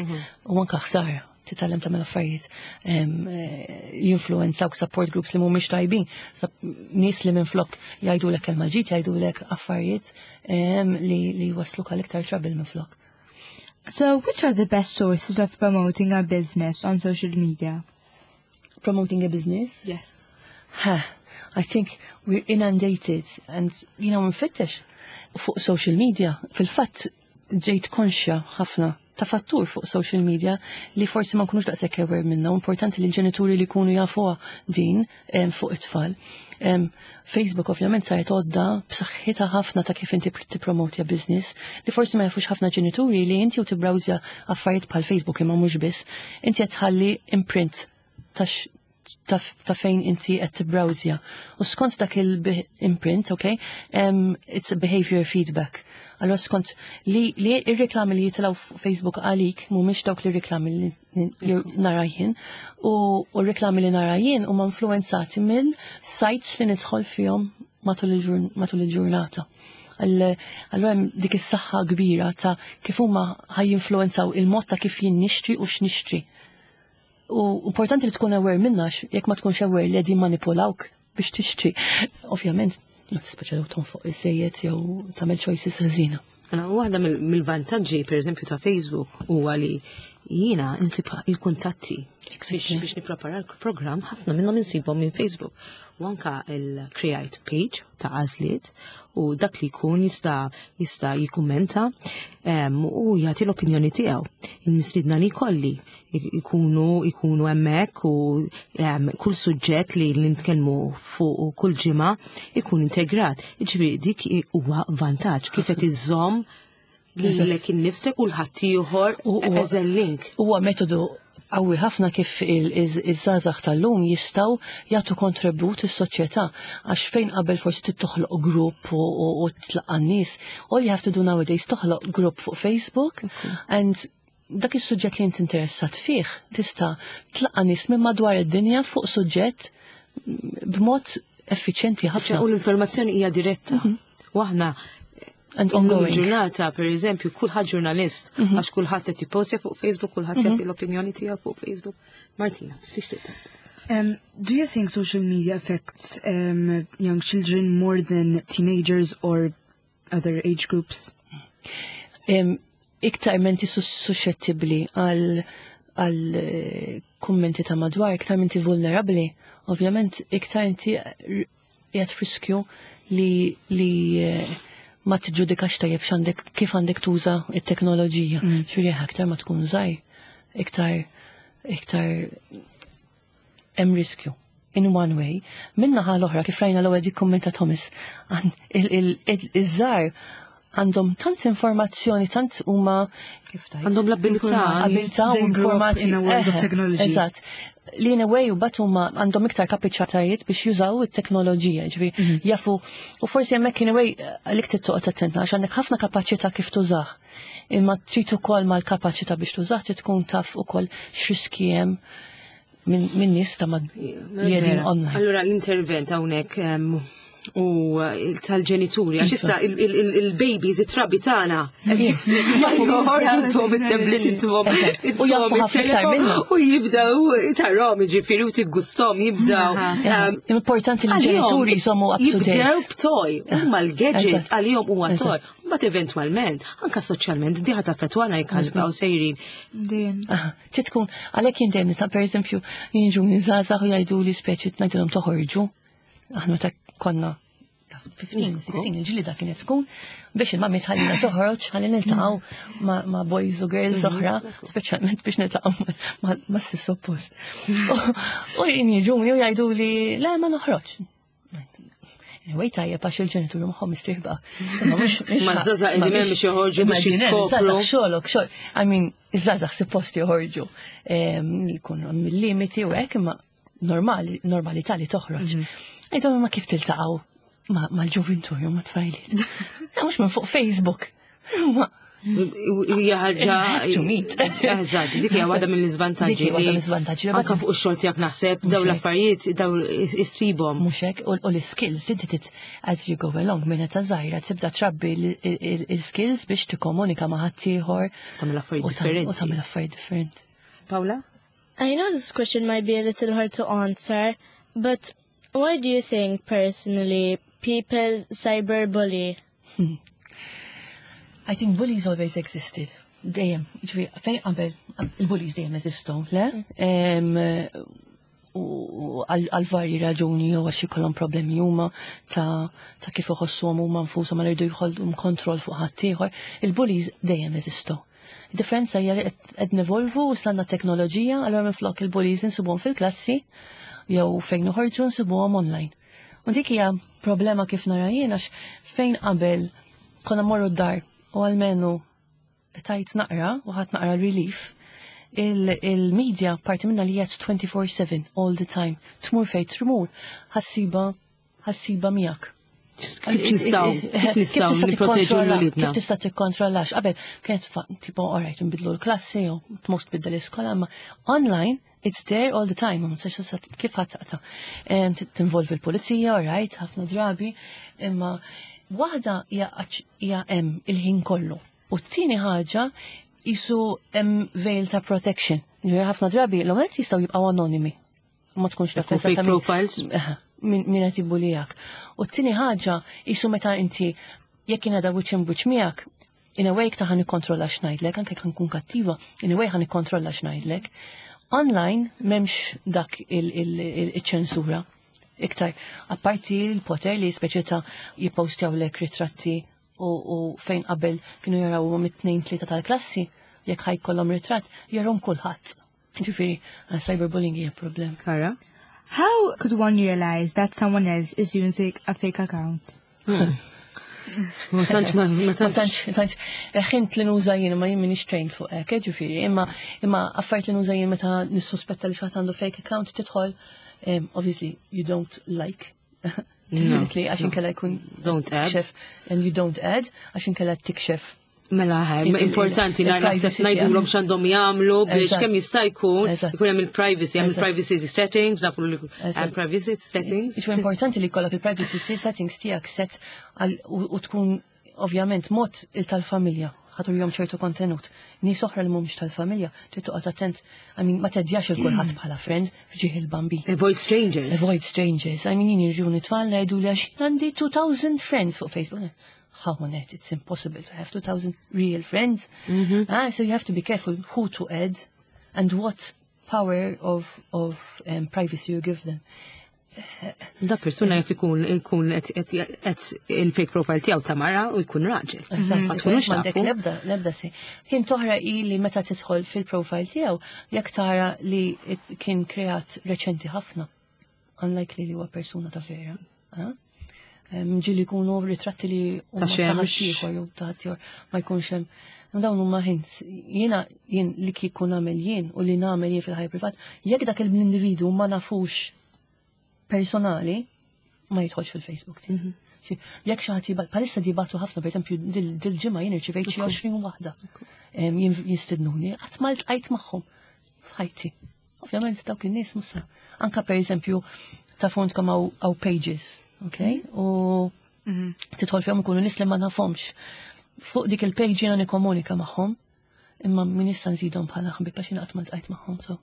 D: u anka ħsara titgħallem tagħmel affarijiet em, eh, jinfluenzawk support groups li mhumiex tajbin, Sap- nies li minflok jgħidulek kelma ġid, jgħidulek affarijiet em, li li wasluk għal iktar trouble minflok.
C: So, which are the best sources of promoting a business on social media?
D: Promoting a business?
C: Yes.
D: Ha, I think we're inundated and, you know, nfittex fuq social media. Fil-fatt ġejt konxja ħafna ta' fattur fuq social media li forsi ma nkunux daqshekk aware minna. Importanti li l-ġenituri li jkunu jafuha din em, fuq it-tfal. Em, Facebook ovvjament saret għodda b'saħħitha ħafna ta' kif inti tippromotja business li forsi ma jafux ħafna ġenituri li inti u tibbrowsja affarijiet bħal Facebook imma mhux biss, inti qed tħalli imprint ta' x- ta' ta' fejn inti qed tibbrowsja. U skont dak il-imprint, okay, um, it's a behavior feedback. Allora skont li, li ir-reklami li jitilgħu fuq Facebook għalik mhumiex dawk li reklami li li nara jien u u r-reklami li nara jien huma influenzati minn sites li nidħol fihom matul il-ġurn- matul il-ġurnata. Allora hemm dik is-saħħa kbira ta' kif huma ħa jinfluenzaw il-mod ta' kif jien nixtri u x'nixtri. U importanti li tkun aware minna għax jekk ma tkunx aware li qegħdin manipulawk biex tixtri. Ovvjament, tispeċa tonfoq iżejjed jew tagħmel choices ħażina.
B: Mela, waħda mill- mill-vantaġġi, per eżempju, ta' Facebook huwa li Jiena insib il-kuntatti biex biex nipprepara l-programm, ħafna minnhom insibhom minn Facebook. U anka il-create page ta' Għażliet u dak li jkun jista' jista' jikkummenta em, u jagħti l-opinjoni tiegħu. Nistiedna li kolli ikunu ikunu hemmhekk u em, kull suġġett li li nitkellmu fuq kull ġimgħa ikun integrat. Jiġifieri dik huwa vantaġġ kif qed iżomm lilek innifsek u l-ħaddieħor
D: U- u-
B: as a link.
D: Huwa metodu qawwi ħafna kif iż-żgħażagħ tal-lum jistgħu jagħtu kontribut is-soċjetà, għax fejn qabel forsi trid toħloq grupp u u tlaqqa' n-nies, all you have to do nowadays toħloq grupp fuq Facebook and dak is-suġġett li inti interessat fih tista' tlaqqa' nies minn madwar id-dinja fuq suġġett b'mod effiċjenti ħafna.
B: U l-informazzjoni hija diretta. U aħna
D: And
B: illum
D: ongoing.
B: il-ġurnata, per eżempju, kulħadd ġurnalist, għax kulħadd qed jippostja fuq Facebook, kulħadd jagħti l-opinjoni tiegħu fuq Facebook. Martina, x'tixtieq tgħid?
G: Um, do you think social media affects um, young children more than teenagers or other age groups?
D: Em, iktar m'inti suscettibbli għal għal eh, kummenti ta' madwar, iktar m'inti vulnerabli, ovvjament iktar inti qiegħed f'riskju li li eh, ma tiġġudikax tajjeb x'għandek, kif għandek tuża it-teknoloġija. Mm. Ġifieri aktar ma tkun żgħir, iktar iktar hemm riskju. In one way. Min-naħa l-oħra, kif rajna l-ewwel dik kummenta Thomas, għan- il- il- il- iż-żgħar għandhom tant informazzjoni, tant huma, kif tgħid?
B: Għandhom l-abilità.
D: Abilità u
G: They grew up
D: informati.
G: in a world of
D: Eħe,
G: technology.
D: Eżatt. Li in a way u bat huma għandhom iktar kapaċitajiet biex jużaw it-teknoloġija, ġifieri jafu, u forsi hemmhekk in a way għalik trid toqgħod attenta għax għandek ħafna kapaċità kif tużah. Imma trid ukoll mal-kapaċità biex tużah trid tkun taf ukoll x'riski hemm minn min nies ta' mad li qegħdin online.
B: Allura l-intervent hawnhekk em, u eh, tal-ġenituri, għax issa il- il- il- il-babies, it-trabi tagħna. Joħorġu it-tablet intuhom.
D: U jafu ħafna iktar minna.
B: U jibdaw tarahom, ġifieri, u tiggustom jibdaw. em,
D: Importanti li l-ġenituri jżommu up to
B: Jibdew
D: date.
B: b'toy, huma l-gadget
D: Eżatt.
B: għalihom huwa toy.
D: Eżatt.
B: Mbagħad eventwalment, anka soċjalment, diħa taffettwana jekk ħa sejrin.
C: Dejjem.
D: Aha, trid tkun, għalhekk jien dejjem ta' pereżempju jiġu żgħażagħ u jgħidu li speċi ngħidulhom toħorġu. Aħna meta konna ta' ħmistax, sittax, il-ġlida kienet tkun biex il-mami tħallina toħroġ, ħalli niltaqgħu ma' ma' boys u girls oħra, speċjalment biex niltaqgħu ma' ma' sess oppost. U jien jiġuni u jgħidu li le, ma noħroġ. Anyway, tajjeb għax il-ġenituri magħhom mistrieħba. Imma mhux- mhux
B: Ma ż-żgħażagħ
D: ma
B: qegħdin hemm
D: biex-
B: biex joħorġu biex
D: Immaġina,
B: jiskopru.
D: Żgħażagħ xogħolok, xogħol. I mean, iż-żgħażagħ suppost joħorġu. Em, Jkunu mill-limiti u hekk, imma normali, normalità li toħroġ. Għidhom, ma kif tiltaqgħu ma- mal-ġuvintur jew ma' tfajliet? Mhux minn fuq Facebook. Ma
B: Hija ħaġa.
D: Have to meet.
B: Eżatt, dik hija waħda mill-iżvantaġġi.
D: Dik hija waħda mill-iżvantaġġi.
B: Anka fuq ix-xogħol tiegħek naħseb daw
D: Mhux hekk.
B: l-affarijiet daw issibhom.
D: Mhux hekk, u u l-skills, inti tit as you go along, minn età żgħira tibda trabbi l-skills biex tikkomunika ma' ħaddieħor
B: Tagħmel affarijiet
D: u tagħmel- u
B: differenti.
D: tagħmel affarijiet differenti.
B: Paula?
H: I know this question might be a little hard to answer, but why do you think personally people cyberbully?
D: I think bullies always existed. Dejjem, ġifieri, fejn qabel, il-bullies dejjem eżistu, le? Em, U u għal għal varji raġuni, jew għax ikollhom problemi huma ta' ta' kif iħossuhom huma nfushom, għal jridu jkollhom kontroll fuq ħaddieħor. Il-bullies dejjem eżistu. Differenza hija li qed qed nevolvu u sanna teknoloġija, allura minflok il-bullies insibuhom fil-klassi jew fejn noħorġu, nsibuhom online. U dik hija problema kif nara jien, għax fejn qabel konna morru d-dar u almenu tajt naqra u ħadt naqra relief, il-media parti minna li jgħat twenty-four seven all the time. Tmur fej tmur, ħa ssibha ħa ssibha miegħek.
B: Kif nistgħu kif nistgħu
D: tista'
B: nipproteġu
D: tikkontrolla-
B: l-uliedna?
D: Kif tista' tikkontrollax? Qabel kienet fa- tipo, alright, nbidlu l-klassi jew tmur tbiddel l-iskola, imma online it's there all the time, ma tistax tista' kif ħadd taqta'. Em, t- Tinvolvi l-pulizija, alright, ħafna drabi, imma waħda hija għax- hija hemm il-ħin kollu. U t-tieni ħaġa jisu hemm veil ta' protection. Ġifieri ħafna drabi l-omet jistgħu jibqgħu anonimi. Ma tkunx taf
B: Jkun fake
D: eżattament
B: profiles.
D: Eħe, min min qed jibbulijak. U t-tieni ħaġa jisu meta inti jekk kien għadha wiċċ imwiċċ miegħek, In a way iktar ħa nikkontrolla x'ngħidlek, anke jekk nkun kattiva, in a way ħa nikkontrolla x'ngħidlek. Online m'hemmx dak il-ċensura. Iktar, apparti l-poter li speċi ta' jippostjawlek ritratti u, u fejn qabel kienu jaraw mit-tnejn tlieta tal-klassi, jekk ħa jkollhom ritratt, jarahom kulħadd. Ġifieri, cyberbullying hija problem.
B: Kara?
C: How could one realize that someone else is using a fake account?
B: Ma tantx ma ma
D: Ma
B: tantx.
D: tantx, tantx, ħint li nuża jien, ma jien minix trained fuq hekk, eh, ġifieri, imma imma affarijiet li nuża jien meta nissuspetta li xi ħadd għandu fake account tidħol, um, obviously you don't like. Definitely, għax inkella jkun
B: Don't add.
D: tikxef, and you don't add, għax inkella tikxef.
B: Mela ħaj,
D: Il- il-
B: importanti
D: il-
B: nara
D: il-privacy
B: ngħidulhom
D: tiegħek.
B: x'għandhom jagħmlu biex
D: Eżatt.
B: kemm jista' jkun
D: Eżatt.
B: ikun hemm il-privacy, hemm
D: Eżatt.
B: il-privacy settings, nafu li hemm
D: Eżatt.
B: privacy settings.
D: Iġu importanti li jkollok il-privacy settings tiegħek set għal- u u tkun ovvjament mod il tal-familja ħa turihom ċertu kontenut. Nies oħra li mhumiex tal-familja, trid toqgħod attent, I mean, ma teddjax il kulħadd bħala friend f'ġieħ il-bambin.
B: Avoid strangers.
D: Avoid strangers. I mean, jien jiġuni tfal jgħidu li għax għandi two thousand friends fuq Facebook. How on earth it's impossible to have two thousand real friends. Ah, so you have to be careful who to add and what power of, of um, privacy you give them.
B: Da persuna jaf ikun ikun qed- qed qed il-fake profile tiegħu ta' mara u jkun raġel.
D: Eżatt,
B: Ma tkunux
D: m'għandek
B: tafu.
D: lebda, lebda si. Ħin toħra i li meta tidħol fil-profile tiegħu, jekk tara li it- kien kreat reċenti ħafna, unlikely li huwa persuna ta' vera. ah? Em, Ġieli jkunu ritratti li huma
B: Ta' xemx.
D: ħaddieħor jew ta' ħaddieħor ma jkunx hemm. Dawn huma hints. Jiena jien li kieku nagħmel jien u li nagħmel jien fil-ħajja privat, jekk dak l-individu ma nafux personali, ma jidħolx fil-Facebook tiegħi. Xi- Jekk xi ħadd jibgħat, bħalissa jibagħtu ħafna, pereżempju dil-ġimgħa jien irċivejt xi għoxrin waħda. Em, jien- Jistidnuni, qatt ma ltqajt magħhom f'ħajti. Ovvjament dawk in-nies musa. Anka pereżempju ta' fontkom hawn pages, ok? U tidħol fihom ikunu nies li ma nafhomx. Fuq dik il-page jiena nikkomunika magħhom, imma min issa nżidhom bħala ħbib għax jiena qatt ma ltqajt magħhom. So.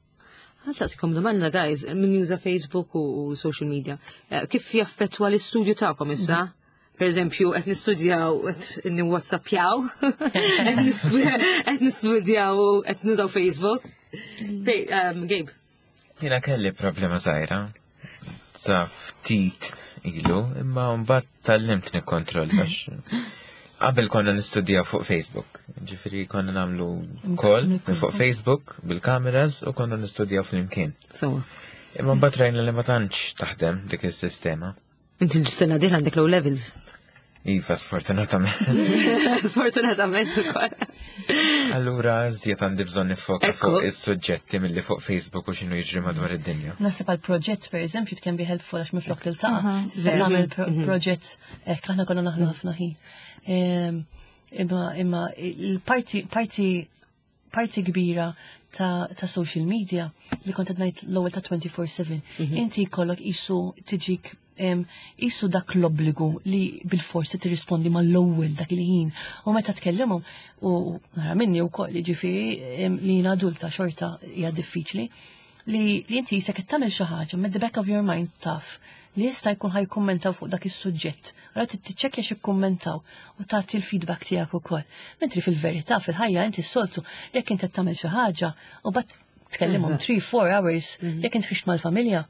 B: Ħa nsaqsikom domanda, guys, min juża Facebook u, u social media. Eh, Kif jaffettwa l-istudju tagħkom issa? Per eżempju, qed nistudjaw, qed niwhatsappjaw, qed nispu- qed nistudjaw, qed nużaw Facebook. Fej, um, Gabe.
E: Jiena kelli problema żgħira ta' ftit ilu, imma mbagħad tgħallimt nikkontrolla għax qabel konna nistudjaw fuq Facebook. Ġifieri konna nagħmlu call minn fuq Facebook bil-kameras u konna nistudjaw flimkien.
B: So,
E: Imma mbagħad rajna li ma tantx taħdem dik is-sistema.
B: Inti l-sena din għandek low levels.
E: Iva, sfortunatament.
B: Sfortunatament ukoll.
E: Allura, żjed għandi bżonn nifoka
B: Ekku.
E: fuq is-suġġetti milli fuq Facebook u x'inhu jiġri madwar id-dinja.
D: Naħseb għal proġett, per eżempju, it can be helpful għax minflok tiltaqa'. Tista' tagħmel pro- proġett hekk aħna konna naħlu ħafna ħin. Em, Imma imma il-parti parti parti kbira ta', ta' social media li kont qed ngħid l-ewwel ta' twenty-four seven. Inti jkollok isu tiġik em, isu dak l-obbligu li bil-forsi tirrispondi mal-ewwel dak il-ħin. U meta tkellimhom u nara minni wkoll jiġifieri em, li jien adulta xorta hija diffiċli li, li inti jisek qed tagħmel xi ħaġa with the back of your mind taf li jista' jkun ħa jikkummentaw fuq dak is-suġġett. Allura trid tiċċekkja x'ikkummentaw u tagħti l-feedback tiegħek ukoll. Mentri fil-verità fil-ħajja inti s-soltu jekk inti qed tagħmel xi ħaġa u mbagħad tkellimhom three four hours, jekk inti ħriġt mal-familja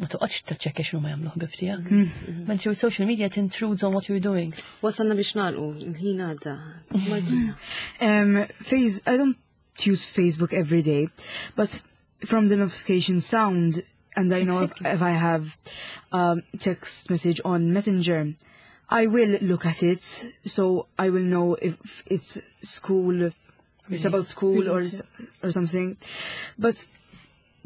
D: ma toqgħodx tiċċekkja x'inhu ma jagħmlu ħbib tiegħek. Mentri with social media it intrudes on what you're doing.
B: Wasalna biex nagħlqu, il-ħin għadda. Martina.
G: Um, face, I don't use Facebook every day, but from the notification sound, and I know if, if I have um, text message on Messenger, I will look at it, so I will know if it's school, it's about school or s- or something. But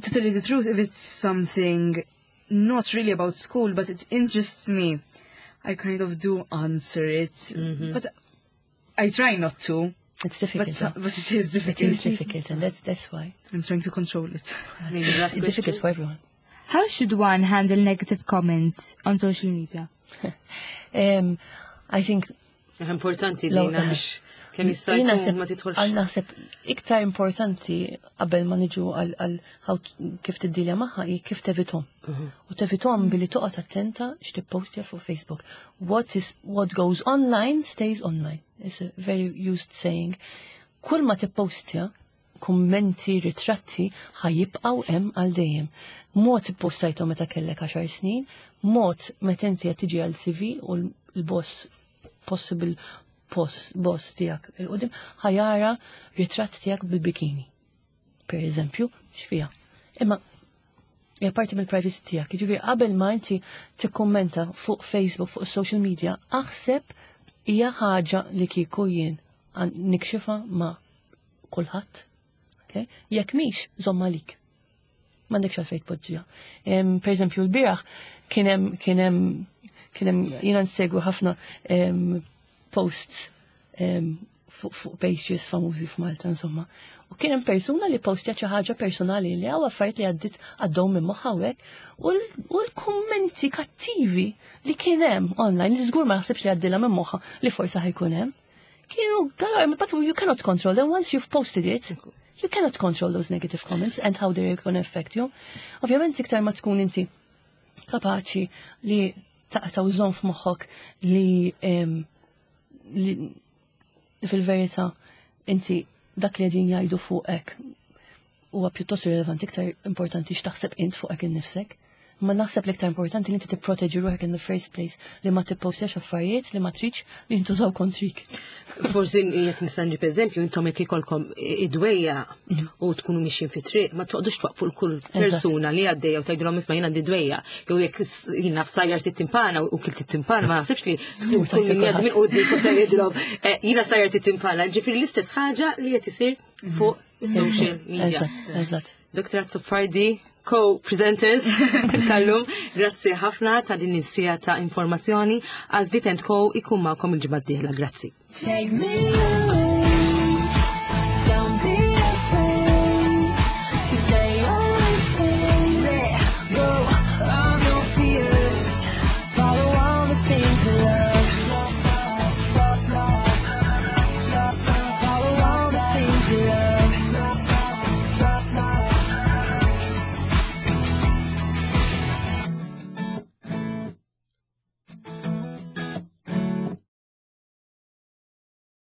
G: to tell you the truth, if it's something not really about school, but it interests me, I kind of do answer it. But I try not to.
D: It's difficult.
G: But,
D: Huh?
G: but it is
D: It
G: difficult.
D: is difficult, and that's that's why.
G: I'm trying to control it.
B: Maybe last
D: It's difficult
B: question.
D: for everyone.
C: How should one handle negative comments on social media?
D: Um, I think
B: Importanti
D: Law-
B: dina biex kemm jista'
D: Jien
B: jkun
D: naħseb-
B: ma tidħolx.
D: għal naħseb iktar importanti qabel ma niġu għal għal how t- kif tiddilja magħha hi kif tevitahom. U tevitahom billi toqgħod attenta x'tippostja fuq Facebook. What is what goes online stays online. It's a very used saying. Kull ma tippostja, kummenti, ritratti, ħa jibqgħu hemm għal dejjem. Mod ippostajthom meta kellek għaxar snin, mod meta inti qed tiġi għal C V u l-boss, possible boss, boss tiegħek 'il quddiem ħa jara ritratt tiegħek bil-bikini. Per eżempju, x'fiha. Imma hija parti mill-privacy tiegħek. Jiġifieri qabel ma inti tikkummenta fuq Facebook, fuq social media, aħseb hija ħaġa li kieku jien għan- nikxifha ma' kulħadd. Okay? Jekk mhix, żomm għalik. M'għandekx għalfejn tpoġġiha. Em, Per eżempju, l-bieraħ kien hemm kien hemm kien hemm jiena nsegwi ħafna em, posts em, fuq fuq pages famużi f'Malta, insomma. U kien hemm persuna li postja xi ħaġa personali li hawn affarijiet li għaddit għaddew minn moħħha hekk u l- u l-kummenti kattivi li kien hemm online li żgur ma jaħsibx li għaddilha minn moħħha li forsi ħa jkun hemm. Kienu galore, but you cannot control them once you've posted it. You cannot control those negative comments and how they're going to affect you. Ovvjament iktar ma tkun inti kapaċi li taqta' u żżomm f'moħħok li em, li fil-verità inti dak li qegħdin jgħidu fuqek huwa pjuttost irrelevanti, iktar importanti x'taħseb int fuqek innifsek. Ma naħseb l-iktar importanti li inti tipproteġi ruħek in the first place, li ma tippostjax affarijiet li ma tridx li jintużaw kontrik.
B: Forsi jekk nista' nġib eżempju, intom jekk ikolkom id-dwejjaq u tkunu mixjin fi triq, ma toqgħodux twaqfu l kull persuna li għaddejja u tgħidulhom, "Isma', jien għandi dwejjaq." Jew jekk jiena f'sajjar timpana u kilt timpana, ma naħsibx li tkun kull min jgħaddi minn quddiem tgħidilhom, eh, "Jiena sajjar timpana." Ġifieri l-istess ħaġa li qed isir fuq social media.
D: Eżatt, eżatt.
B: Doktor Azzopardi, co-presenters tal-lum, grazzi ħafna ta' din is-siegħa ta' informazzjoni. Għażliet and Co ikun magħkom il-ġimgħa d-dieħla. Grazzi.
I: Take me.